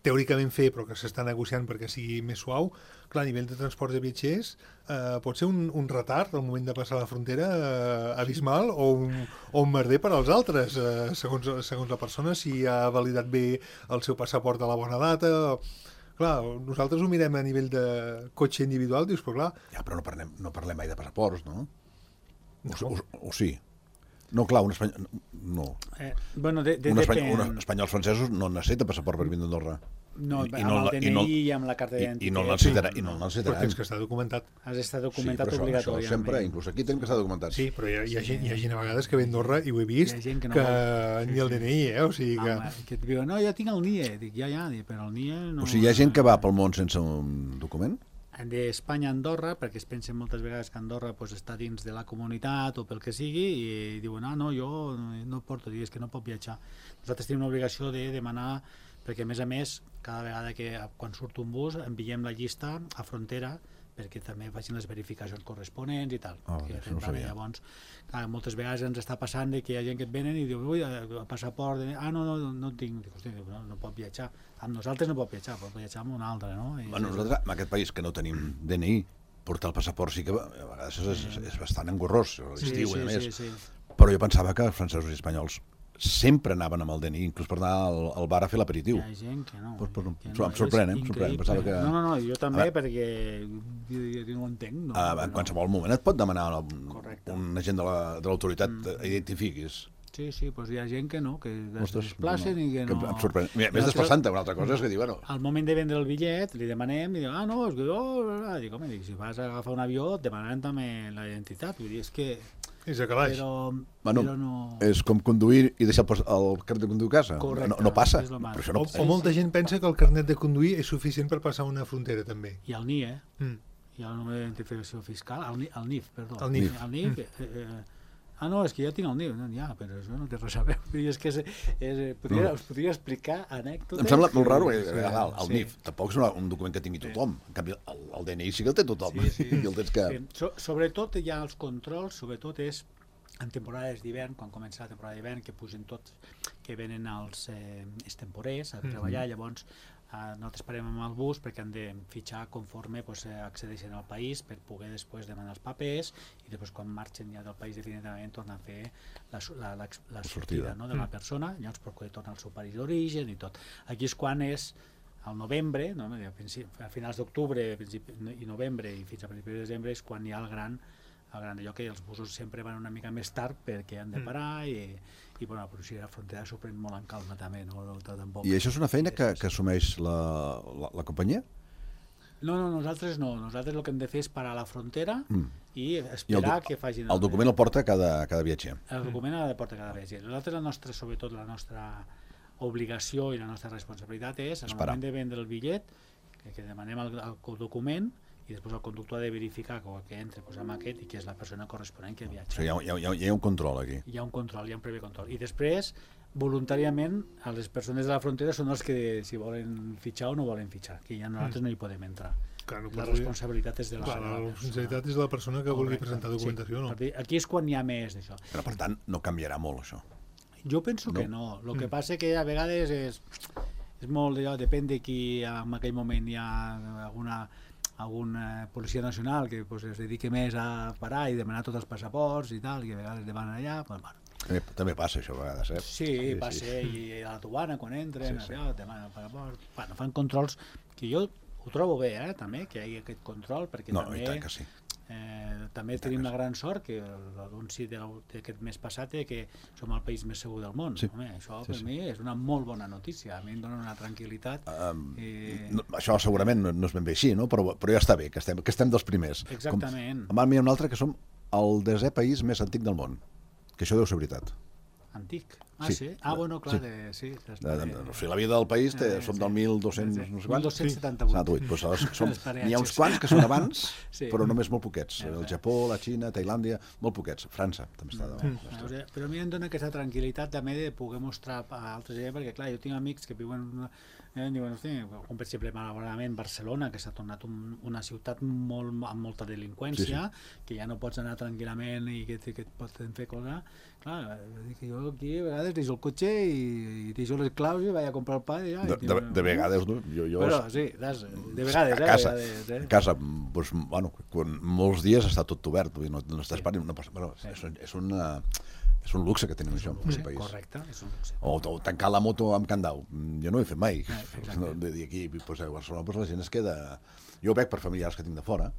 teòricament fer, però que s'està negociant perquè sigui més suau. Clar, a nivell de transport de viatgers eh, pot ser un, un retard al moment de passar la frontera eh, abismal o un, o un merder per als altres, eh, segons, segons la persona, si ha validat bé el seu passaport a la bona data. Clar, nosaltres ho mirem a nivell de cotxe individual, dius, però clar... Ja, però no parlem, no parlem mai de passaports, no? No. O, o, o sí? No, clar, un espanyol... No. Eh, bueno, de, de, un espanyol, depèn... un espanyols francesos no necessita passaport per vindre a Andorra. No, I, amb i no, el D N I i no, i amb la carta d'identitat. I no el necessitarà, i no el Però necessitaran. tens que estar documentat. Has d'estar Sí, documentat però això, això obligatòriament. sempre, inclús aquí tenim que estar documentats. Sí, però hi ha, hi, ha gent, hi ha gent a vegades que ve a Andorra, i ho he vist, Hi ha gent que que, no que ni el D N I, eh? O sigui que... Home, que et diuen, no, jo tinc el N I E. Dic, ja, ja, dic, però el N I E no... O sigui, hi ha gent que va pel món sense un document? d'Espanya a Andorra, perquè es pensen moltes vegades que Andorra pues, està dins de la comunitat o pel que sigui, i diuen, ah, no, jo no porto, digues que no pot viatjar. Nosaltres tenim l'obligació de demanar, perquè a més a més, cada vegada que quan surt un bus enviem la llista a frontera perquè també facin les verificacions corresponents i tal. Oh, que això no ho sabia. Llavors, clar, moltes vegades ens està passant de que hi ha gent que et venen i diu, ui, el passaport, ah, no, no, no el tinc. Dic, hosti, no, no pot viatjar. Amb nosaltres no pot viatjar, pot viatjar amb un altre, no? I Bueno, nosaltres, en aquest país que no tenim D N I, portar el passaport sí que a vegades és, és, és bastant engorrós, l'estiu, sí, a més. sí, sí. Però jo pensava que els francesos i espanyols sempre anaven amb el D N I, inclús per anar al, al bar a fer l'aperitiu. Hi ha gent que no. Pues, pues, que em sorprèn, eh? Em sorprèn. increïble. Pensava que... No, no, no, jo també, veure, perquè jo, jo, jo no ho entenc. No, Uh, en qualsevol moment et pot demanar un, Correcte. un agent de la- de l'autoritat Mm. que identifiquis. Sí, sí, doncs hi ha gent que no, que es Ostres, desplacen i que que no... em sorprèn. Mira, més Nosaltres- desplaçant-te, una altra cosa és que diu, bueno, Al moment de vendre el bitllet, li demanem, i diu, ah, no, és que jo... Dic, home, dic, si vas a agafar un avió, et demanaran també la identitat. Vull dir, és que... És a calaix. Però, bueno, però no... és com conduir i deixar el, pas- el carnet de conduir a casa. Correcte, no, no passa. és lo Però mateix. això no... O, o molta gent pensa que el carnet de conduir és suficient per passar una frontera, també. I el N I E, Mm. hi ha el número d'identificació fiscal, el, N I- el N I F, perdó. El N I F. El N I F, eh, eh, ah, no, és que jo tinc el N I F. No, ja, però això no té res a veure. Vull dir, és que és, és, podria, us podria explicar anècdotes... Em sembla molt raro, eh, Sí, el, el sí. N I F tampoc és una, un document que tingui tothom. En canvi, el, el D N I sí que el té tothom. Sí, sí. I el tens que... Sí. So, sobretot hi ha els controls, sobretot és en temporades d'hivern, quan comença la temporada d'hivern, que pugen tots, que venen els eh, extemporers a treballar, llavors eh, nosaltres parem amb el bus perquè han de fitxar conforme pues, eh, accedeixen al país per poder després demanar els papers i després quan marxen ja del país definitivament tornar a fer la, su- la, la, la sortida, no, de la persona, llavors per poder tornar al seu país d'origen i tot. Aquí és quan és al novembre, no? a, principi, a finals d'octubre i novembre i fins a principis de desembre és quan hi ha el gran el gran allò que els busos sempre van una mica més tard perquè han de parar i, i bueno, però si la frontera s'ho pren molt en calma també, no? No, tampoc. I això és una feina que, que assumeix la, la, la companyia? No, no, nosaltres no. Nosaltres el que hem de fer és parar a la frontera Mm. i I el, esperar do- que facin... el document el porta cada, cada viatger. El document ha de portar cada viatger. Nosaltres, la nostra, sobretot la nostra obligació i la nostra responsabilitat és, en el Esperar. moment de vendre el bitllet, que, que demanem el, el document i després el conductor ha de verificar que el que entra pues, amb aquest i que és la persona corresponent que O viatja. sigui, hi ha, hi ha, hi ha un control aquí. Hi ha un control, hi ha un previ control. I després, voluntàriament, a les persones de la frontera són els que si volen fitxar o no volen fitxar, que ja nosaltres no hi podem entrar. Clar, no La pots dir- responsabilitat és de la, Clar, de la la responsabilitat és de la persona que vulgui Correcte, presentar documentació, sí. no? Per dir, aquí és quan hi ha més d'això. Però, per tant, no canviarà molt, això. Jo penso que no. El que passa que a vegades és, és molt d'allò, depèn de qui en aquell moment hi ha alguna alguna policia nacional que pues, es dediqui més a parar i demanar tots els passaports i tal, i a vegades demanen allà, pues, bueno. També, també passa això a vegades, eh? Sí, sí passa, sí. I a la Tubana quan entren, Sí, sí. allò, demanen el passaport. Bueno, fan controls que jo ho trobo bé, eh, també, que hi hagi aquest control, perquè No, també... i tant que sí. Eh, també tenim la gran sort que l'anunci de la- d'aquest mes passat és que som el país més segur del món. Sí. Home, això Sí, per sí. mi és una molt bona notícia, a mi em dona una tranquil·litat. Um, i... no, això segurament no, no és ben bé així, no? però, però ja està bé, que estem, que estem dels primers. Exactament. Com, a mi hi ha un altre que som el desè país més antic del món, que això deu ser veritat. Antic. Ah, sí. sí? Ah, bueno, clar, Sí. de, sí. De, de, de, o sigui, la vida del país té, Eh, som sí. del mil dos-cents, Sí. no sé quants. mil dos-cents setanta-vuit. setanta-vuit. Pues, aleshores, som, Els n'hi ha uns peatges. quants que són abans, Sí. però només molt poquets. Eh, El eh. Japó, la Xina, Tailàndia, molt poquets. França també està davant. Mm. O sigui, però a mi em dona aquesta tranquil·litat també de poder mostrar a altres gent, perquè clar, jo tinc amics que viuen en una, eh, diuen, hosti, com per exemple malauradament Barcelona, que s'ha tornat un, una ciutat molt, amb molta delinqüència, sí, sí. que ja no pots anar tranquil·lament i que, que et poden fer cosa. Clar, que jo aquí a vegades deixo el cotxe i, i deixo les claus i vaig a comprar el pa i ja... De, de, de vegades, no? Jo, jo Però sí, des, de vegades, a casa, eh? De vegades, eh? a casa doncs, bueno, quan molts dies està tot obert, vull dir, no, no estàs sí. parant, no passa, bueno, és, és, una, és un luxe que tenim això en Sí, el país. correcte, és un luxe. O, o tancar la moto amb candau. Jo no ho he fet mai. Eh, no, de dir aquí, pues, a Barcelona, pues, la gent es queda... Jo ho veig per familiars que tinc de fora,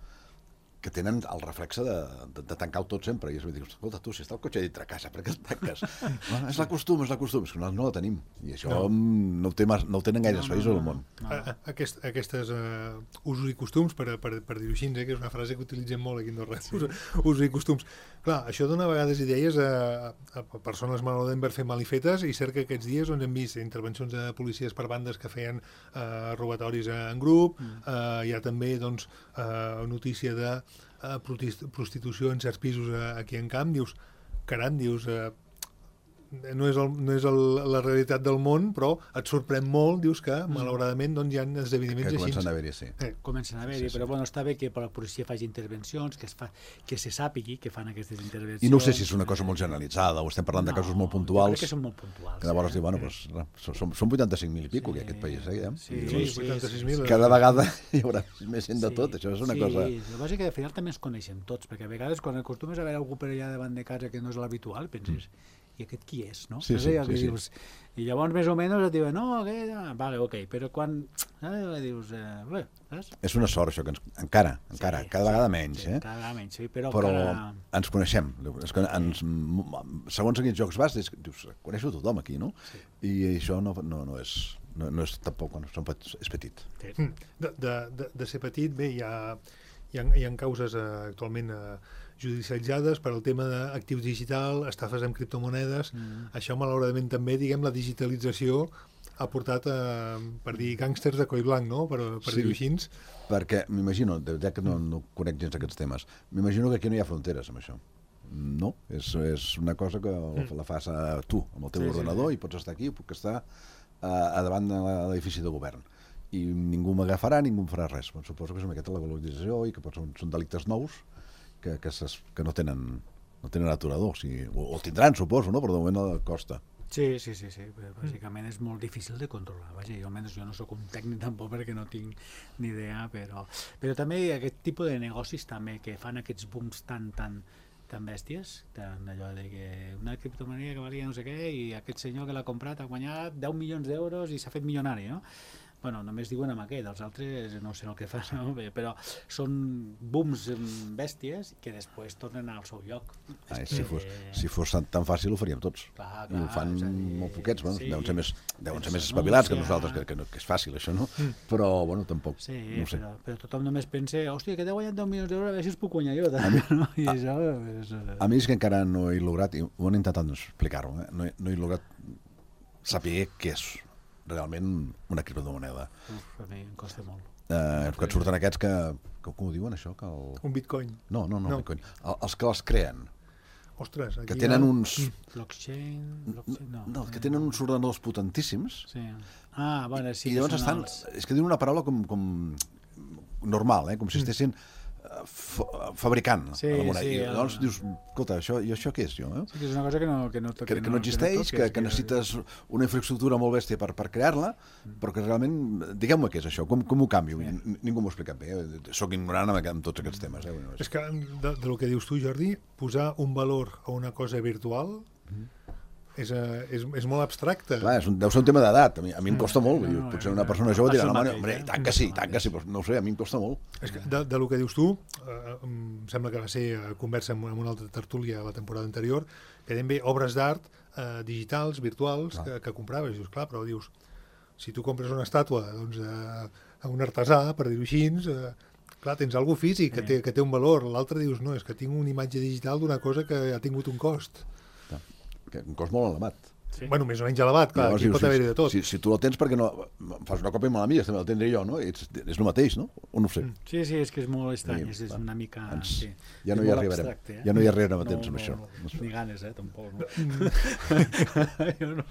que tenen el reflexe de, de, de tancar-ho tot sempre. I es diu, escolta, tu, si està el cotxe dintre casa, per què el tanques? No, és la costum, és la costum. És que nosaltres no la tenim. I això no, no, ho, té, no ho tenen gaires no, països no, no, al món. No. A, a, aquest, aquestes uh, usos i costums, per, per, per dir-ho així, eh, que és una frase que utilitzem molt aquí a Andorra, sí. usos i costums. Clar, això dona a vegades idees a, a persones malauradament per fer malifetes, i cert que aquests dies doncs, hem vist intervencions de policies per bandes que feien uh, robatoris en grup, mm. uh, hi ha també doncs, uh, notícia de uh, prostitució en certs pisos uh, aquí en Camp, dius, caram, dius... Uh, no és, el, no és el, la realitat del món, però et sorprèn molt, dius que, mm. malauradament, doncs, hi ha esdeveniments que així. comencen a haver-hi, sí. Eh. Comencen a haver-hi, sí, sí. però bueno, està bé que la policia faci intervencions, que, es fa, que se sàpigui que fan aquestes intervencions. I no sé si és una cosa molt generalitzada, o estem parlant no, de casos molt puntuals. Jo crec que són molt puntuals. Que llavors eh? diu, bueno, pues, són, són vuitanta-cinc mil i pico, sí, que aquest país, eh? Sí, I, sí, sí, vuitanta-sis mil. Cada vegada hi haurà més gent de sí, tot, això és una sí, cosa... Sí, el que passa és que al final també ens coneixem tots, perquè a vegades quan acostumes a veure algú per allà davant de casa que no és l'habitual, penses... Mm. I aquest qui és, no? Sí, sí, sí, dius, sí. I llavors més o menys et diuen, no, aquest... Ah, vale, ok, però quan... Eh, dius, eh, bé, saps? És una sort això, que ens, encara, encara, sí, cada sí, vegada menys, sí, eh? Cada vegada menys, sí, però, però encara... ens coneixem. És que ens, segons a quins jocs vas, dius, coneixo tothom aquí, no? Sí. I això no, no, no és... No, no és tampoc, bueno, són, és petit. Sí. De, de, de, de ser petit, bé, hi ha, hi ha, hi ha causes eh, actualment eh, judicialitzades per al tema d'actius digital, estafes amb criptomonedes. Mm. Això, malauradament, també, diguem, la digitalització ha portat, a, per dir, gàngsters de coll blanc, no?, per, per sí, dir-ho així. Perquè, m'imagino, ja que no, no conec gens aquests temes, m'imagino que aquí no hi ha fronteres amb això. No, és, és una cosa que mm. la fas a tu, amb el teu sí, ordenador, sí, sí. I pots estar aquí, puc estar a, a davant de l'edifici de govern. I ningú m'agafarà, ningú em farà res. Bon, suposo que és una miqueta la valorització i que pot, són, són delictes nous que, que, ses, que no tenen no tenen aturador, o, sigui, o, o tindran, suposo, no? Però de moment no costa. Sí, sí, sí, sí. Bàsicament és molt difícil de controlar. Vaja, jo almenys jo no sóc un tècnic tampoc perquè no tinc ni idea, però, però també aquest tipus de negocis també que fan aquests booms tan, tan, tan bèsties, tan allò de que una criptomoneda que valia no sé què i aquest senyor que l'ha comprat ha guanyat deu milions d'euros i s'ha fet milionari, no? Bueno, només diuen amb aquest, els altres no sé el que fan, no? Però són booms bèsties que després tornen al seu lloc. Ai, si, fos, si fos tan, tan fàcil ho faríem tots. Clar, clar, I ho fan dir, molt poquets, bueno, sí, deuen ser més, deuen ser més espavilats que nosaltres, que, que, no, que és fàcil això, no? Mm. Però, bueno, tampoc, sí, no ho sé. Però, però tothom només pensa, hòstia, que t'he guanyat deu milions d'euros, a veure si els puc guanyar jo. També, no? I a, això és... a mi és que encara no he lograt, i ho han intentat explicar-ho, eh? no, he, no he lograt saber què és realment una criptomoneda. Uf, a mi em costa molt. Eh, que et surten aquests que, que... Com ho diuen, això? Que el... Un bitcoin. No, no, no, no. bitcoin. El, els que els creen. Ostres, aquí que tenen ha... uns... Blockchain... blockchain no, no, que tenen uns ordenadors potentíssims. Sí. Ah, bueno, sí. I llavors estan... Els... És que diuen una paraula com, com normal, eh? Com si estessin fabricant sí, a la moneda. Sí, I llavors el... dius, escolta, això, i això què és, jo? Eh? Sí, que és una cosa que no, que no, que, que, que no existeix, que, no que, que necessites una infraestructura molt bèstia per, per crear-la, mm. però que realment, digueu-me què és això, com, com ho canvio? Sí. Ningú m'ho ha explicat bé, eh? Soc ignorant amb, amb tots aquests temes. Eh? Bueno, és... és que, de, de lo que dius tu, Jordi, posar un valor a una cosa virtual... Mm. És, és, és molt abstracte. Clar, és un, deu ser un tema d'edat. A mi, a mi em costa molt. No, no, potser una persona jove dirà, no, home, home, tant que sí, tant que sí, però no ho sé, a mi em costa molt. És que de, de lo que dius tu, eh, em sembla que va ser conversa amb, amb una altra tertúlia la temporada anterior, que eren bé obres d'art eh, digitals, virtuals, que, que compraves. Dius, clar, però dius, si tu compres una estàtua doncs, eh, a un artesà, per dir-ho així, eh, clar, tens algú físic que té, que té un valor. L'altre dius, no, és que tinc una imatge digital d'una cosa que ha tingut un cost. Que un cost molt elevat. Sí. Bueno, més o menys elevat, clar, Llavors aquí dius, pot haver-hi de tot. Si, si tu el tens, perquè no fas una còpia molt amiga, també la tindré jo, no? És, és el mateix, no? O no ho sé. Sí, sí, és que és molt estrany, Sí, és, és va. una mica... Ens- sí. ja no És hi molt arribarem. abstracte, eh? Ja no hi arribarem a No, temps amb no, això. no, ni ganes, eh, tampoc. No. jo no.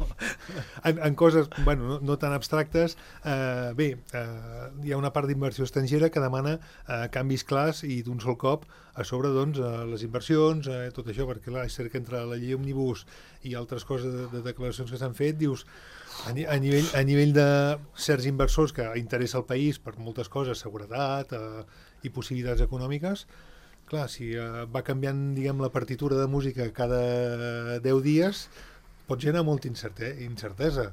En, en coses, bueno, no, no tan abstractes, eh, bé, eh, hi ha una part d'inversió estrangera que demana eh, canvis clars i d'un sol cop a sobre, doncs, eh, les inversions, eh, tot això, perquè clar, és cert que entre la llei Òmnibus i altres coses de, de declaracions que s'han fet, dius, a, ni, a, nivell, a nivell de certs inversors que interessa el país per moltes coses, seguretat eh, i possibilitats econòmiques, clar, si eh, va canviant, diguem, la partitura de música cada deu dies, pot generar molta incerte incertesa.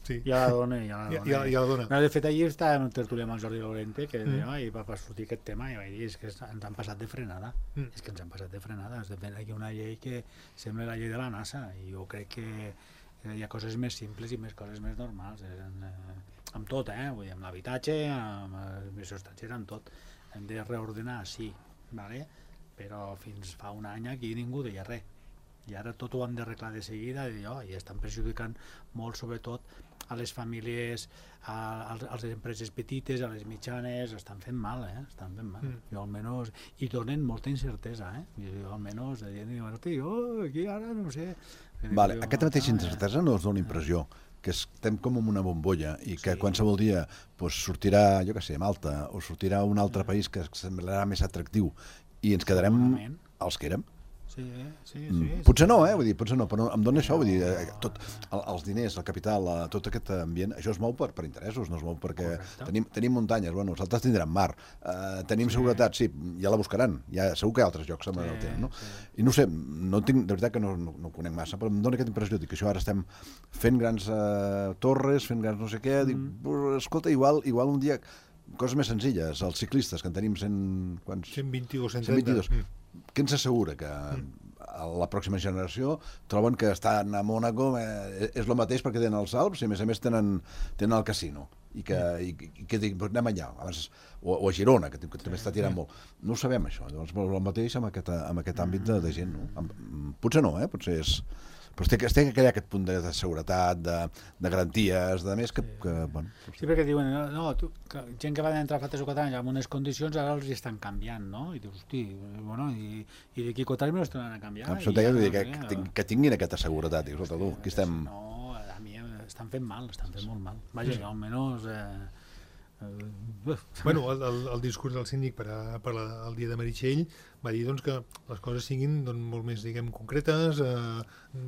Sí. Ja la dona, ja la Ja, dona. ja, ja la dona. No, de fet, ahir estava en un tertúlia amb el Jordi Lorente que Mm. deia, i va va sortir aquest tema i vaig dir, és que ens han passat de frenada. Mm. És que ens han passat de frenada. És de fet, hi ha una llei que sembla la llei de la NASA i jo crec que hi ha coses més simples i més coses més normals. Eh, en, eh, amb tot, eh? Vull dir, amb l'habitatge, amb l'administració estrangera, amb tot. Hem de reordenar, sí, vale? Però fins fa un any aquí ningú deia res. I ara tot ho hem d'arreglar de seguida i, oh, i estan perjudicant molt, sobretot, a les famílies, a, a les empreses petites, a les mitjanes, estan fent mal, eh? Estan fent mal. Mm. Jo almenys, i donen molta incertesa, eh? Jo almenys, dient, oh, aquí ara no sé... Vale, jo, aquesta mateixa ah, incertesa no us dona impressió que estem com en una bombolla i que Sí. qualsevol dia pues, sortirà, jo què sé, Malta, o sortirà un altre país que semblarà més atractiu i ens quedarem Segurament. els que érem? Sí, sí, sí. Mm, sí, potser sí. no, eh? Vull dir, potser no, però em dona això, vull dir, eh, tot, el, els diners, el capital, eh, tot aquest ambient, això es mou per, per interessos, no es mou perquè Correcte. tenim, tenim muntanyes, bueno, els altres tindran mar, eh, tenim seguretat, sí, ja la buscaran, ja, segur que hi ha altres llocs que sí, el tenen, no? sí. I no ho sé, no tinc, de veritat que no, no, no ho conec massa, però em dona aquesta impressió, dic que això ara estem fent grans eh, torres, fent grans no sé què, dic, mm. escolta, igual, igual un dia, coses més senzilles, els ciclistes, que en tenim cent... Quants? cent vint o cent cent vint-i-dos. trenta. Mm. Què ens assegura que a la pròxima generació troben que estan a Mònaco eh, és el mateix perquè tenen els Alps i a més a més tenen, tenen el casino i que, i, i que dic, anem allà abans, o, o a Girona, que, que també està tirant molt, no ho sabem això, llavors el mateix amb aquest, amb aquest àmbit de, de gent, no? Amb, potser no, eh? Potser és però es té, es té que crear aquest punt de, de seguretat, de, de garanties, de més que... que bueno, Sí, perquè diuen, no, no tu, que, gent que va entrar fa tres o quatre anys amb unes condicions, ara els hi estan canviant, no? I dius, hosti, bueno, i, i d'aquí quatre anys me les tornaran a canviar. això i t'he ja de dir, no que, sé, que, ting- que tinguin aquesta seguretat. Dic, escolta, tu, aquí estem... No, a mi estan fent mal, estan fent molt mal. Vaja, jo almenys... Eh, eh, Bueno, el, el, el discurs del síndic per, a, per la, el dia de Meritxell va dir doncs, que les coses siguin doncs, molt més, diguem, concretes, eh,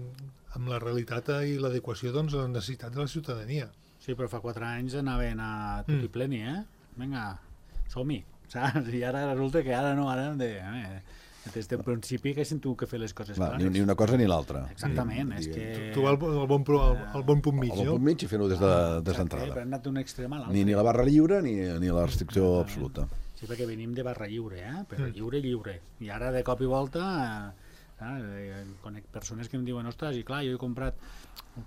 amb la realitat i l'adequació doncs, a les necessitats de la ciutadania. Sí, però fa quatre anys anaven a tot i Mm. pleni, eh? Vinga, som-hi, saps? I ara resulta que ara no, ara hem de... Eh, des del principi que sento que fer les coses Clar, clares. ni, ni una cosa ni l'altra. Exactament, és Digue- que... Trobar el, el, bon, pro- el, el bon punt mig, El no? punt mig i fer-ho des de- des Exacte, d'entrada. però hem anat d'un extrem a l'altre. Ni, ni la barra lliure ni, ni la restricció absoluta. Sí, perquè venim de barra lliure, eh? Però Mm. lliure, lliure. I ara, de cop i volta, eh, eh, conec persones que em diuen, ostres, i clar, jo he comprat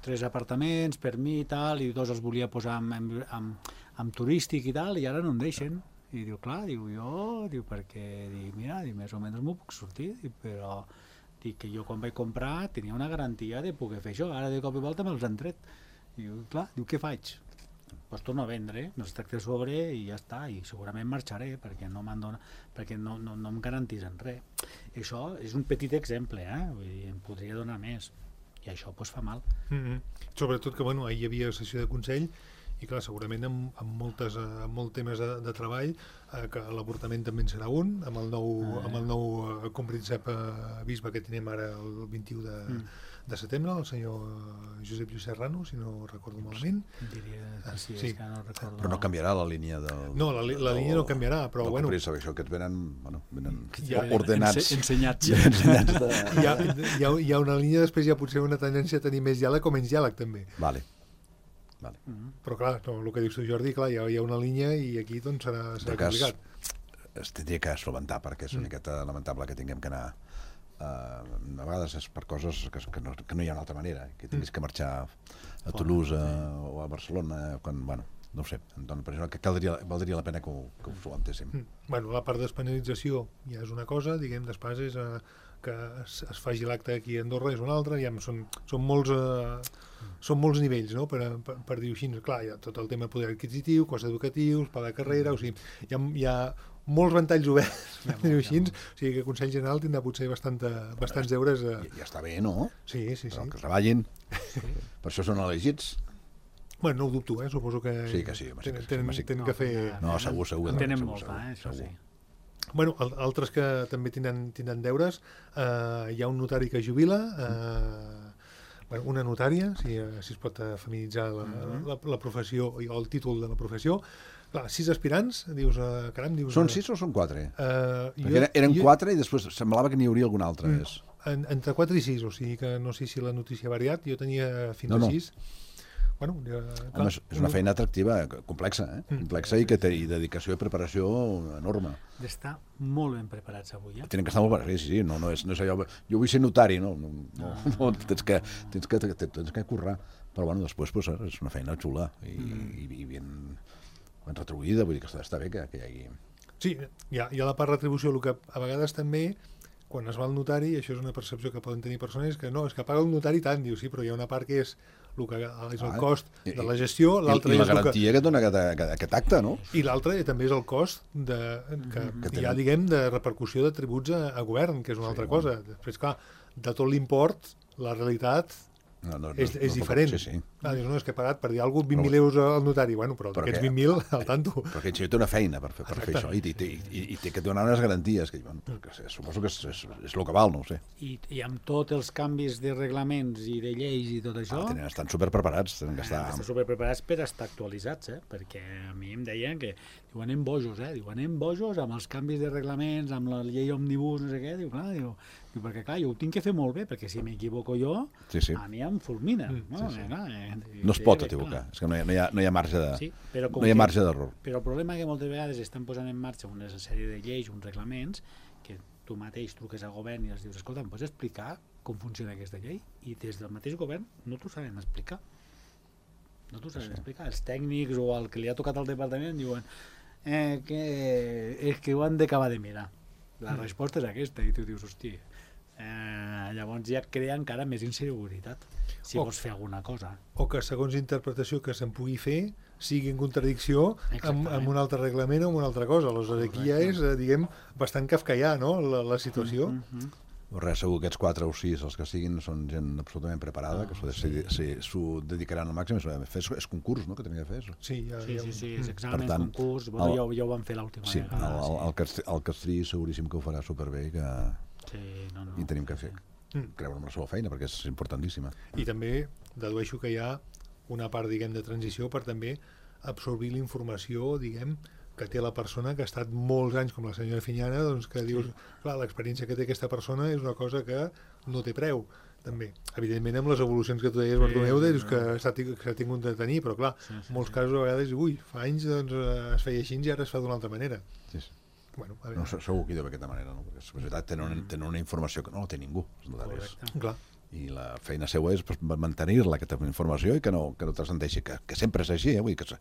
tres apartaments per mi i tal, i dos els volia posar amb, amb, amb, amb turístic i tal, i ara no em deixen. I diu, clar, diu, jo, diu, perquè, dic, mira, dic, més o menys m'ho puc sortir, dic, però dic que jo quan vaig comprar tenia una garantia de poder fer això, ara de cop i volta me'ls han tret. Diu, clar, diu, què faig? Pues torno a vendre, me'ls tracte a sobre i ja està, i segurament marxaré perquè no m'han donat, perquè no, no, no em garantisen res. I això és un petit exemple, eh? Vull dir, em podria donar més, i això pues, fa mal. Mm -hmm. Sobretot que, bueno, ahir hi havia sessió de Consell i clar, segurament amb, amb, moltes, eh, amb molt temes de, de treball, eh, que l'avortament també en serà un, amb el nou, Ah. amb el nou eh, compríncep eh, bisbe que tenim ara el vint-i-u de, Mm. de setembre, el senyor eh, Josep Lluís Serrano, si no recordo malament. Diria que sí, Sí. és que no recordo. Però no canviarà la línia del... No, la, li- la línia no canviarà, però del bueno, compríncep, això que et venen, bueno, venen Ja, ordenats. Ense ensenyats. Ja, ensenyats de... hi ha, hi, ha, hi ha una línia, després hi ha potser una tendència a tenir més diàleg o menys diàleg també. Vale. Vale. Mm. Però clar, no, el que dius tu, Jordi, clar, hi ha, hi ha una línia i aquí doncs serà, serà De cas, complicat. es tindria que solventar perquè és una Mm. miqueta lamentable que tinguem que anar uh, a vegades és per coses que, que, no, que no hi ha una altra manera, que tinguis que marxar a Toulouse a, o a Barcelona quan, bueno, no ho sé, em dona l'impressió que caldria, valdria la pena que ho, que ho solucionéssim. Mm. Bueno, la part d'espanyorització ja és una cosa, diguem, després és eh, que es, es faci l'acte aquí a Andorra és una altra, ja són, són, molts, eh, són molts nivells, no?, per, per, per dir-ho així. Clar, hi ha tot el tema de poder adquisitiu, cost educatius, pla de carrera, o sigui, hi ha, hi ha molts ventalls oberts, per dir-ho així, o sigui que el Consell General tindrà potser bastanta, bastants deures. Eh... Ja, ja està bé, no? Sí, sí, sí. Però que treballin, sí. Per això són elegits. Bueno, no ho dubto, eh? Suposo que... Sí, que sí. Tenen, tenen, tenen que fer... No, segur, segur. En tenen molta, eh, això sí. Bueno, altres que també tindran, tindran deures, eh, hi ha un notari que jubila, eh, bueno, una notària, si, si es pot feminitzar la, la, la professió o el títol de la professió. Clar, sis aspirants, dius, eh, caram, dius... Són sis o són quatre? Eh, jo, eren eren jo, quatre i després semblava que n'hi hauria algun altre mm, més. En, entre quatre i sis, o sigui que no sé si la notícia ha variat, jo tenia fins no, a no. sis. Bueno, ja, Home, és, és una feina atractiva, complexa, eh? Mm. complexa i que té i dedicació i preparació enorme. D'estar molt ben preparats avui, eh? Tenen que estar molt preparats, sí, sí, no, no, és, no és allò... Jo vull ser notari, no, no, no, no tens, que, tens, que, tens que currar, però bueno, després pues, és una feina xula i, mm. i, i ben, ben retribuïda, vull dir que està, està bé que, que hi hagi... Sí, hi ha, hi ha la part retribució, el que a vegades també, quan es va al notari, i això és una percepció que poden tenir persones, que no, és que paga un notari tant, diu, sí, però hi ha una part que és el que és el cost ah, de la gestió, l'altre i, i la és garantia que... que dona aquest, aquest acte, no? I l'altre també és el cost de, que, que hi ha, diguem, de repercussió de tributs a, a govern, que és una sí, altra cosa. Després, clar, de tot l'import, la realitat no, no, és, és no, diferent. Sí, sí. Ah, dius, no, és que he pagat per dir alguna cosa vint mil euros al notari. Bueno, però d'aquests vint mil, al tanto. Perquè això té una feina per fer, per fer això i, i, i, i té que donar unes garanties, que, bueno, que suposo que és, és, és el que val, no ho sé. I, I amb tots els canvis de reglaments i de lleis i tot això... Ah, tenen, estan superpreparats. Tenen que estar... Eh, estan superpreparats per estar actualitzats, eh? Perquè a mi em deien que diu, anem bojos, eh? Diu, anem bojos amb els canvis de reglaments, amb la llei òmnibus, no sé què. Diu, clar, diu, diu, perquè clar, jo ho tinc que fer molt bé, perquè si m'equivoco jo, sí, sí. a mi em fulmina. Mm, no? Sí, sí. Clar, eh? No es pot equivocar, és que no hi ha, no hi ha, no hi ha marge de, sí, però no hi ha marge d'error. Però el problema és que moltes vegades estan posant en marxa una sèrie de lleis, uns reglaments, que tu mateix truques al govern i els dius, escolta, em pots explicar com funciona aquesta llei? I des del mateix govern no t'ho saben explicar. No t'ho saben sí. explicar. Els tècnics o el que li ha tocat al departament diuen eh, que és que ho han d'acabar de mirar. La mm. resposta és aquesta, i tu dius, hòstia, eh, llavors ja crea encara més inseguretat si o, vols fer alguna cosa. O que segons interpretació que se'n pugui fer sigui en contradicció amb, amb un altre reglament o amb una altra cosa. Aleshores aquí ja és, diguem, bastant kafkaià, no?, la, la situació. Mm -hmm. Res, segur que aquests quatre o sis, els que siguin, són gent absolutament preparada, oh, que s'ho sí. sí, dedicaran al màxim. És, és concurs, no?, que tenia que fer això. Sí, ja, sí, ja... sí, sí, és examen, tant, concurs, bueno, el, ja, ja ho van fer l'última sí, vegada. El, el, el, Castrí, el Castrí seguríssim que ho farà superbé i que sí, no, no, i tenim que fer. Sí. Creure en la seva feina, perquè és importantíssima. I també dedueixo que hi ha una part, diguem, de transició per també absorbir la informació, diguem, que té la persona que ha estat molts anys, com la senyora Finyana, doncs que dius, clar, l'experiència que té aquesta persona és una cosa que no té preu, també. Evidentment, amb les evolucions que tu deies, Bartomeu, sí, dius que s'ha tingut de tenir, però clar, sí, sí, molts sí. casos a vegades, ui, fa anys doncs, es feia així i ara es fa d'una altra manera. Sí, sí. Bueno, a no, segur que hi deu d'aquesta manera, no? Perquè és veritat, tenen, una, tenen una informació que no la té ningú. Clar. I la feina seva és pues, mantenir-la, aquesta informació, i que no, que no transcendeixi, que, que sempre és així, eh? Vull dir que,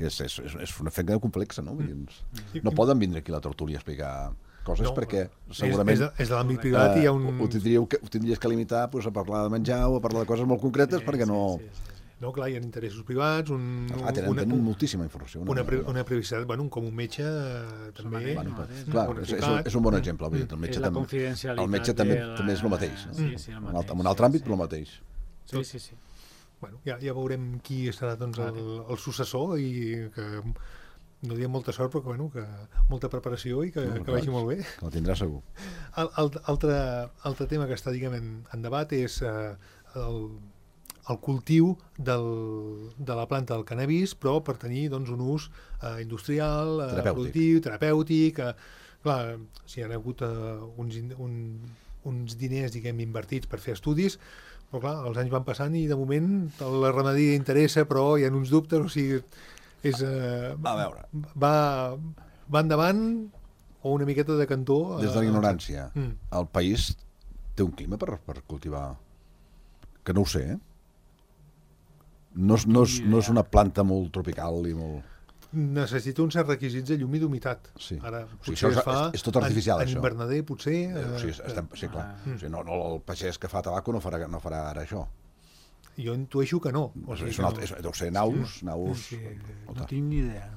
que és, és, és una feina complexa, no? Vull dir, mm. no poden vindre aquí a la tertúlia a explicar coses no, perquè segurament... És, és de l'àmbit privat uh, i hi ha un... Ho, tindríeu que, ho tindries que limitar pues, a parlar de menjar o a parlar de coses molt concretes sí, perquè no... Sí, sí, sí. No, clar, hi ha interessos privats, un, ah, tenen, una, tenen moltíssima informació. Una, una, una privacitat, bueno, com un metge eh, també... Bueno, però, clar, un és, és, un, és un bon exemple. Mm. El metge, tam, el metge també, la... també és el mateix. No? Sí, sí, el mateix. En un altre àmbit, però el mateix. Sí, sí, sí. Bueno, ja, ja veurem qui serà doncs, el, el successor i que no diem molta sort, però que, bueno, que molta preparació i que, no, que vagi molt bé. Que la tindrà segur. El, el, altre, altre tema que està, diguem, en, en debat és eh, el el cultiu del, de la planta del cannabis, però per tenir doncs, un ús eh, industrial, eh, terapèutic. productiu, terapèutic. Eh, clar, si hi ha hagut eh, uns, un, uns diners, diguem, invertits per fer estudis, però clar, els anys van passant i de moment la ramaderia interessa, però hi ha uns dubtes, o sigui, és, eh, a veure. Va, va endavant o una miqueta de cantó. Des de la ignorància, eh, mm. el país té un clima per, per cultivar, que no ho sé, eh? No, és, no, és, no és una planta molt tropical i molt... Necessita uns certs requisits de llum i d'humitat. Sí. Ara, O sigui, potser això es fa és, és tot artificial, en, això. en invernader, potser... Eh, o sigui, eh, estem, sí, clar. Ah. O sigui, no, no, el pagès que fa tabaco no farà, no farà ara això. Jo intueixo que no. O sigui, és que un no. altre, és, deu ser naus, naus... Sí, o no tal. tinc ni idea.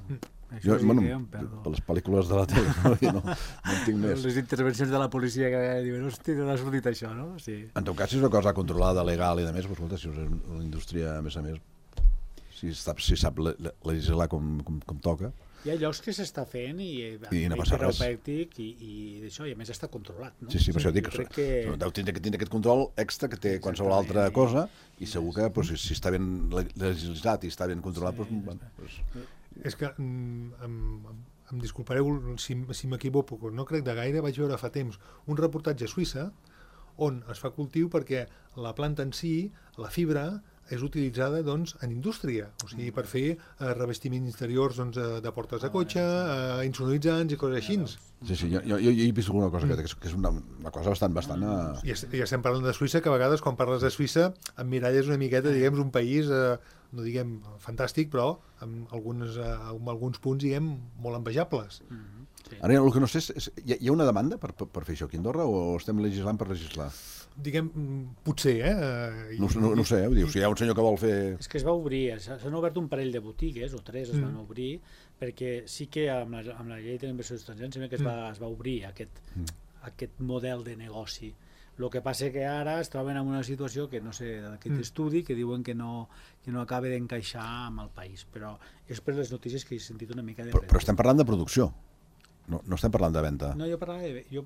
Això Jo, sí bueno, que ja em perdo. per les pel·lícules de la tele, no, no, no en tinc més. Les intervencions de la policia que diuen, hosti, no ha sortit això, no? Sí. En tot cas, si és una cosa controlada, legal i de més, doncs, escolta, si és una indústria, a més a més, si sap, si sap le- le- legislar com, com, com toca, Hi ha llocs que s'està fent i, I no passa res. terapèutic i, i d'això, i a més està controlat, no? sí, sí, per això dic jo que, crec que... deu tindre, que tindre aquest control extra que té qualsevol altra cosa i segur que doncs, si, si està ben le- legislat i està ben controlat, doncs, bueno, doncs, És que, mm, em, em, em disculpareu si, si m'equivoco, no crec de gaire, vaig veure fa temps un reportatge a Suïssa on es fa cultiu perquè la planta en si, la fibra, és utilitzada doncs, en indústria, o sigui, per fer eh, revestiments interiors doncs, eh, de portes de cotxe, eh, insonoritzants i coses així. sí, sí, jo, jo, jo he vist alguna cosa que, que és una, una cosa bastant, bastant... Eh, I es- ja estem parlant de Suïssa, que a vegades quan parles de Suïssa emmiralles una miqueta, diguem, un país, eh, no diguem fantàstic, però amb alguns, eh, amb alguns punts, diguem, molt envejables. Ara, el que no sé és, és hi, ha, hi ha una demanda per, per, per fer això aquí a Andorra o estem legislant per legislar? Diguem, mm, potser, eh? eh, i- No, no, no ho sé, eh? Vull dir, si hi ha un senyor que vol fer... És que es va obrir, s'ha- s'han obert un parell de botigues, o tres es van Mm. obrir, perquè sí que amb la, amb la llei de l'inversió estrangera sembla que es va, es va obrir aquest, aquest model de negoci. El que passa que ara es troben en una situació que no sé, d'aquest Mm. estudi que diuen que no, que no acaba d'encaixar amb el país, però és per les notícies que he sentit una mica de... Però, però estem parlant de producció, no, no estem parlant de venda. No, jo parlava de... Jo,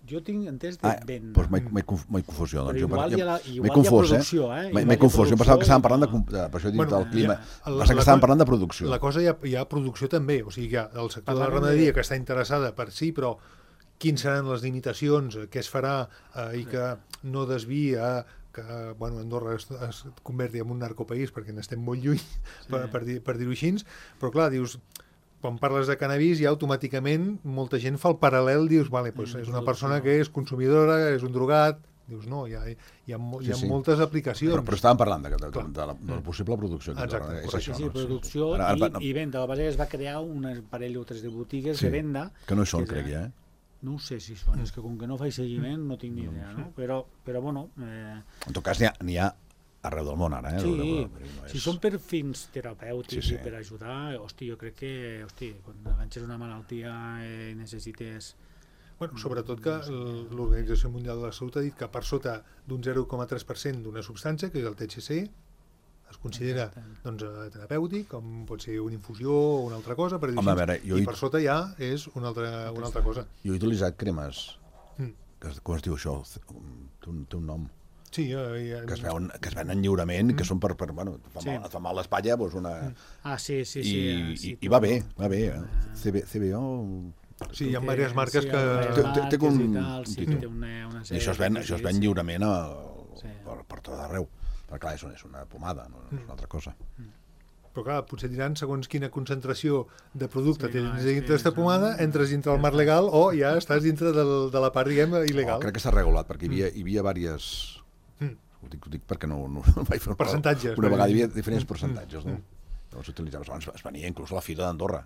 jo tinc entès de Ah, venda. doncs m'he m'he conf- m'he confusió. Però Doncs jo, igual jo, hi ha la- m'he igual hi ha confós, producció, eh? M'he Igual m'he hi ha confós, jo pensava que estàvem producció parlant de, i com- de, per això he dit Bueno, del clima. ja, la- Pensava la que estàvem co- parlant de producció. La cosa hi ha, hi ha producció també, o sigui, hi ha el sector de la Parlàvem ramaderia de- que està interessada per sí, però quins seran les limitacions, eh, què es farà eh, i que no desvia que bueno, Andorra es, es converti en un narcopaís perquè n'estem molt lluny, sí. per, per, dir, per dir-ho així, però clar, dius, quan parles de cannabis ja automàticament molta gent fa el paral·lel, dius, vale, pues és una persona que és consumidora, és un drogat, dius, no, hi ha, hi ha, mo- hi ha Sí, sí. moltes aplicacions. Però, però estàvem parlant de, de, de, Clar. de, la, de la possible producció. aquí a Exacte, Andorra, és correcte. això, Sí, no? producció Ara- ara- i, i venda. A la base es va crear un parell o tres de botigues Sí, de venda. que no hi són, és, crec, ja, eh? No ho sé si són, és que com que no faig seguiment no tinc ni idea, no? Però, però bueno... Eh, En tot cas, n'hi ha, n'hi ha arreu del món, ara, eh? sí, No és- si són per fins terapèutics Sí, sí. i per ajudar, hosti, jo crec que, hosti, quan avances una malaltia i necessites... Bueno, sobretot que l- l'Organització Mundial de la Salut ha dit que per sota d'un zero coma tres per cent d'una substància, que és el T H C, es considera doncs, eh, terapèutic, com pot ser una infusió o una altra cosa, per dir Home, a així, veure, jo i he- per sota ja és una altra, una altra cosa. Jo he utilitzat cremes, Mm. que, es- com es diu això? Té un, té un nom. Sí, eh, Que es, veuen, que es venen lliurement, que són per, per bueno, et fa, Sí. mal, et fa mal l'espatlla, doncs una... Ah, sí, sí, sí. I, eh, i, sí, i tu- va bé, va bé. Eh? C B, C B O... sí, hi ha té- diverses marques sí, que... hi ha Té- marques té com i un tal, sí, títol. té una, una I sèrie això es ven, de això es ven sí. lliurement a, Sí. per, per tot arreu. Però clar, és una, és una pomada, no és una altra cosa. Però clar, potser diran segons quina concentració de producte Sí, sí, no, tens és que dintre d'aquesta és pomada, un- entres dintre del marc legal o ja estàs dintre del, de la part, diguem, il·legal. Oh, crec que s'ha regulat, perquè hi havia, hi havia diverses... Mm. Ho dic, ho dic perquè no, no, no vaig fer una- Percentatges, Una per vegada hi dir. havia diferents percentatges, no? Mm. Llavors s'utilitzava, abans es venia inclús a la Fira d'Andorra.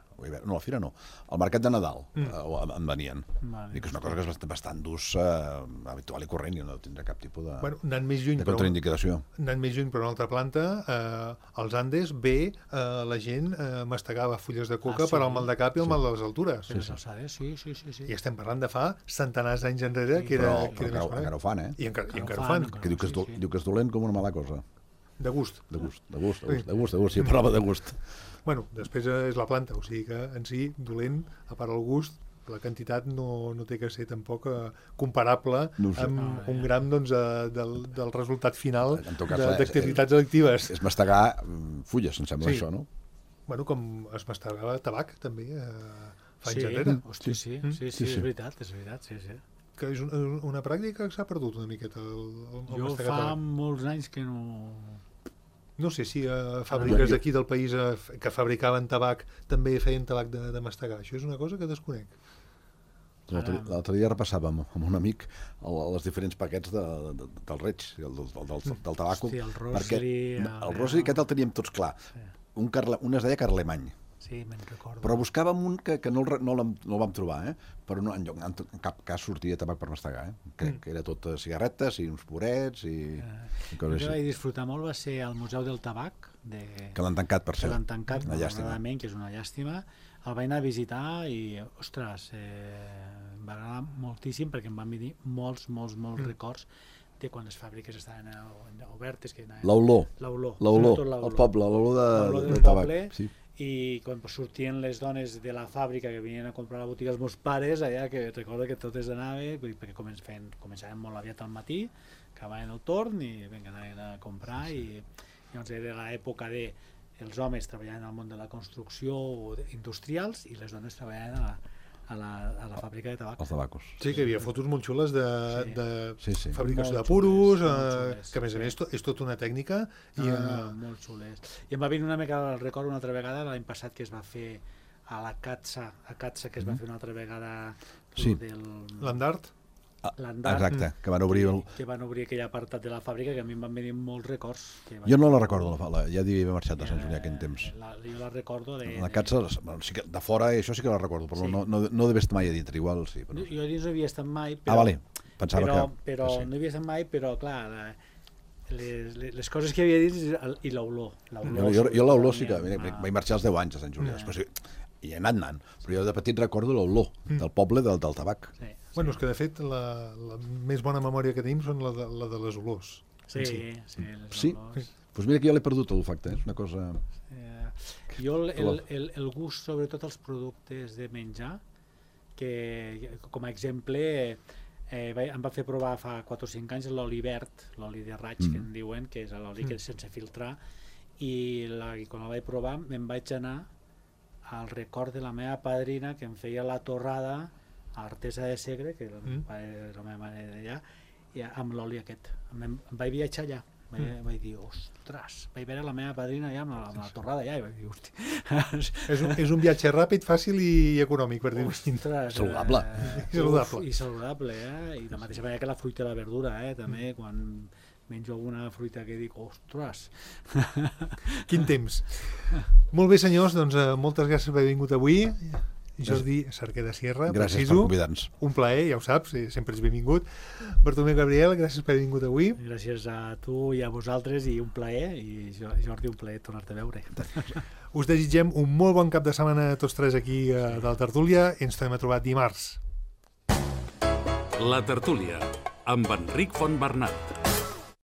No, a la Fira no. Al Mercat de Nadal Mm. eh, en venien. Vale. Dic que és una cosa que és bastant, bastant d'ús eh, habitual i corrent i no tindrà cap tipus de, Bueno, anant més lluny, de però, contraindicació. anant més lluny, però una altra planta, eh, als Andes ve eh, la gent eh, mastegava fulles de coca Ah, sí? per al mal de cap i el mal de les altures. Per les alçades, sí, sí, sí. sí. I estem parlant de fa centenars d'anys enrere, Sí, que era, Però, que però era encara, més encara ho fan, eh? I encara, i Encara encara ho ho fan, fan, encara. Que diu que, és sí, do, sí. diu que és dolent com una mala cosa. de gust. De gust, de gust, de Sí. gust, de gust, de gust, sí, parlava de gust. Bueno, després és la planta, o sigui que en si, dolent, a part del gust, la quantitat no, no té que ser tampoc eh, comparable No ho sé. amb Ah, un ja. gram doncs, eh, del, del resultat final En tot cas, de- és- d'activitats delictives. És mastegar mm, fulles, em sembla, Sí. això, no? Bueno, com es mastegava tabac, també, eh, fa anys Sí, enrere. hosti, sí, Mm. sí, sí, Sí, és sí. veritat, és veritat, sí, sí. Que és una, una pràctica que s'ha perdut una miqueta, el, el, el Jo mastegar fa tabac. molts anys que no... No sé si eh, Jo- fàbriques jo- d'aquí del país eh, que fabricaven tabac també feien tabac de, de mastegar. Això és una cosa que desconec. L'altre l'altre dia repassàvem amb un amic el, els diferents paquets de, de, del Reig, del, del, del, del tabaco. Hosti, el Rosary, perquè el- el Rosary aquest el teníem tots clar. Un, carle, un es deia Carlemany, Sí, me'n recordo. però buscàvem un que, que no, el, re- no, l'hem- no el vam trobar, eh? però no, en, lloc- en, en cap cas sortia tabac per mastegar. Eh? Crec que era tot eh, cigarretes i uns purets i, i El coses que vaig així. disfrutar molt va ser al Museu del Tabac, de... Que l'han tancat, per que cert. l'han tancat, Una llàstima. malauradament, que és una llàstima. El vaig anar a visitar i, ostres, eh, em va agradar moltíssim perquè em van venir molts, molts, molts records de quan les fàbriques estaven eh, obertes. que anaven- L'olor, L'olor, l'olor, sobretot el poble, l'olor de, L'olor de, del de tabac. poble. Sí. I quan sortien les dones de la fàbrica que venien a comprar a la botiga els meus pares, allà que recordo que totes anaven, vull dir, perquè comen, feien, començaven molt aviat al matí, acabaven el torn i vinga, anaven a comprar sí, sí. i llavors era l'època de els homes treballaven al món de la construcció o de- industrials i les dones treballaven a la, a la, a la fàbrica de tabac. Els tabacos. Sí, que hi havia fotos molt xules de, Sí. de Sí, sí. fabricació Molt de puros, xules, molt eh, xules, que a més a sí. més to, és tota una tècnica. I, I, eh, molt xules. I em va venir una mica al record una altra vegada l'any passat que es va fer a la Catsa, a Catsa que es va fer una altra vegada Sí. del l'Andart, l'Andart, Exacte, que van obrir... El... que van obrir aquell apartat de la fàbrica que a mi em van venir molts records. Que Jo no la recordo, la, la, ja devia haver marxat de Sant Julià aquell temps. La, jo la recordo de... La Catsa, bueno, sí que de fora, això sí que la recordo, però Sí. no, no, no devia estar mai a dintre, igual sí. Però... Jo, jo dins no havia estat mai, però... Ah, vale, pensava però, que... però que sí. no havia estat mai, però clar, la, les, les, les coses que havia dit el- i l'olor. Jo, jo, jo l'olor sí que... tenia Vaig una- vaig marxar als deu anys a Sant Julià, Ja. després hi he anat anant, però jo de petit recordo l'olor del poble del, del tabac. Sí, bueno, és que de fet la, la més bona memòria que tenim són la de, la de les olors. sí, Sí. sí, les Sí? olors. Doncs mira que jo l'he perdut l'olfacte, eh? És una cosa... Eh, jo el, el, el, el gust, sobretot els productes de menjar, que com a exemple eh, va, em va fer provar fa quatre o cinc anys l'oli verd, l'oli de raig mm. que en diuen, que és l'oli que és sense filtrar, i, la, i quan el vaig provar me'n vaig anar al record de la meva padrina que em feia la torrada a Artesa de Segre, que era Mm. la meva mare d'allà, i amb l'oli aquest. Em, em vaig viatjar allà. Vaig, mm. vaig dir, ostres, vaig veure la meva padrina allà amb la, amb la torrada allà i vaig dir, hosti, És un, és un viatge ràpid, fàcil i econòmic, per dir-ho així. ostres, Saludable. eh, I saludable. uf, i saludable, eh? I de la mateixa manera que la fruita i la verdura, eh? També, quan menjo alguna fruita que dic, ostres. Quin temps. Molt bé, senyors, doncs eh, moltes gràcies per haver vingut avui. Jordi Cerquer de Sierra, Gràcies preciso. per convidar-nos. Un plaer, ja ho saps, eh, sempre ets benvingut. Bartomeu Gabriel, gràcies per haver vingut avui. Gràcies a tu i a vosaltres i un plaer, i Jo- Jordi, un plaer tornar-te a veure. Us desitgem un molt bon cap de setmana a tots tres aquí eh, de la tertúlia i ens tornem a trobar dimarts. La tertúlia, amb Enric Fontbernat.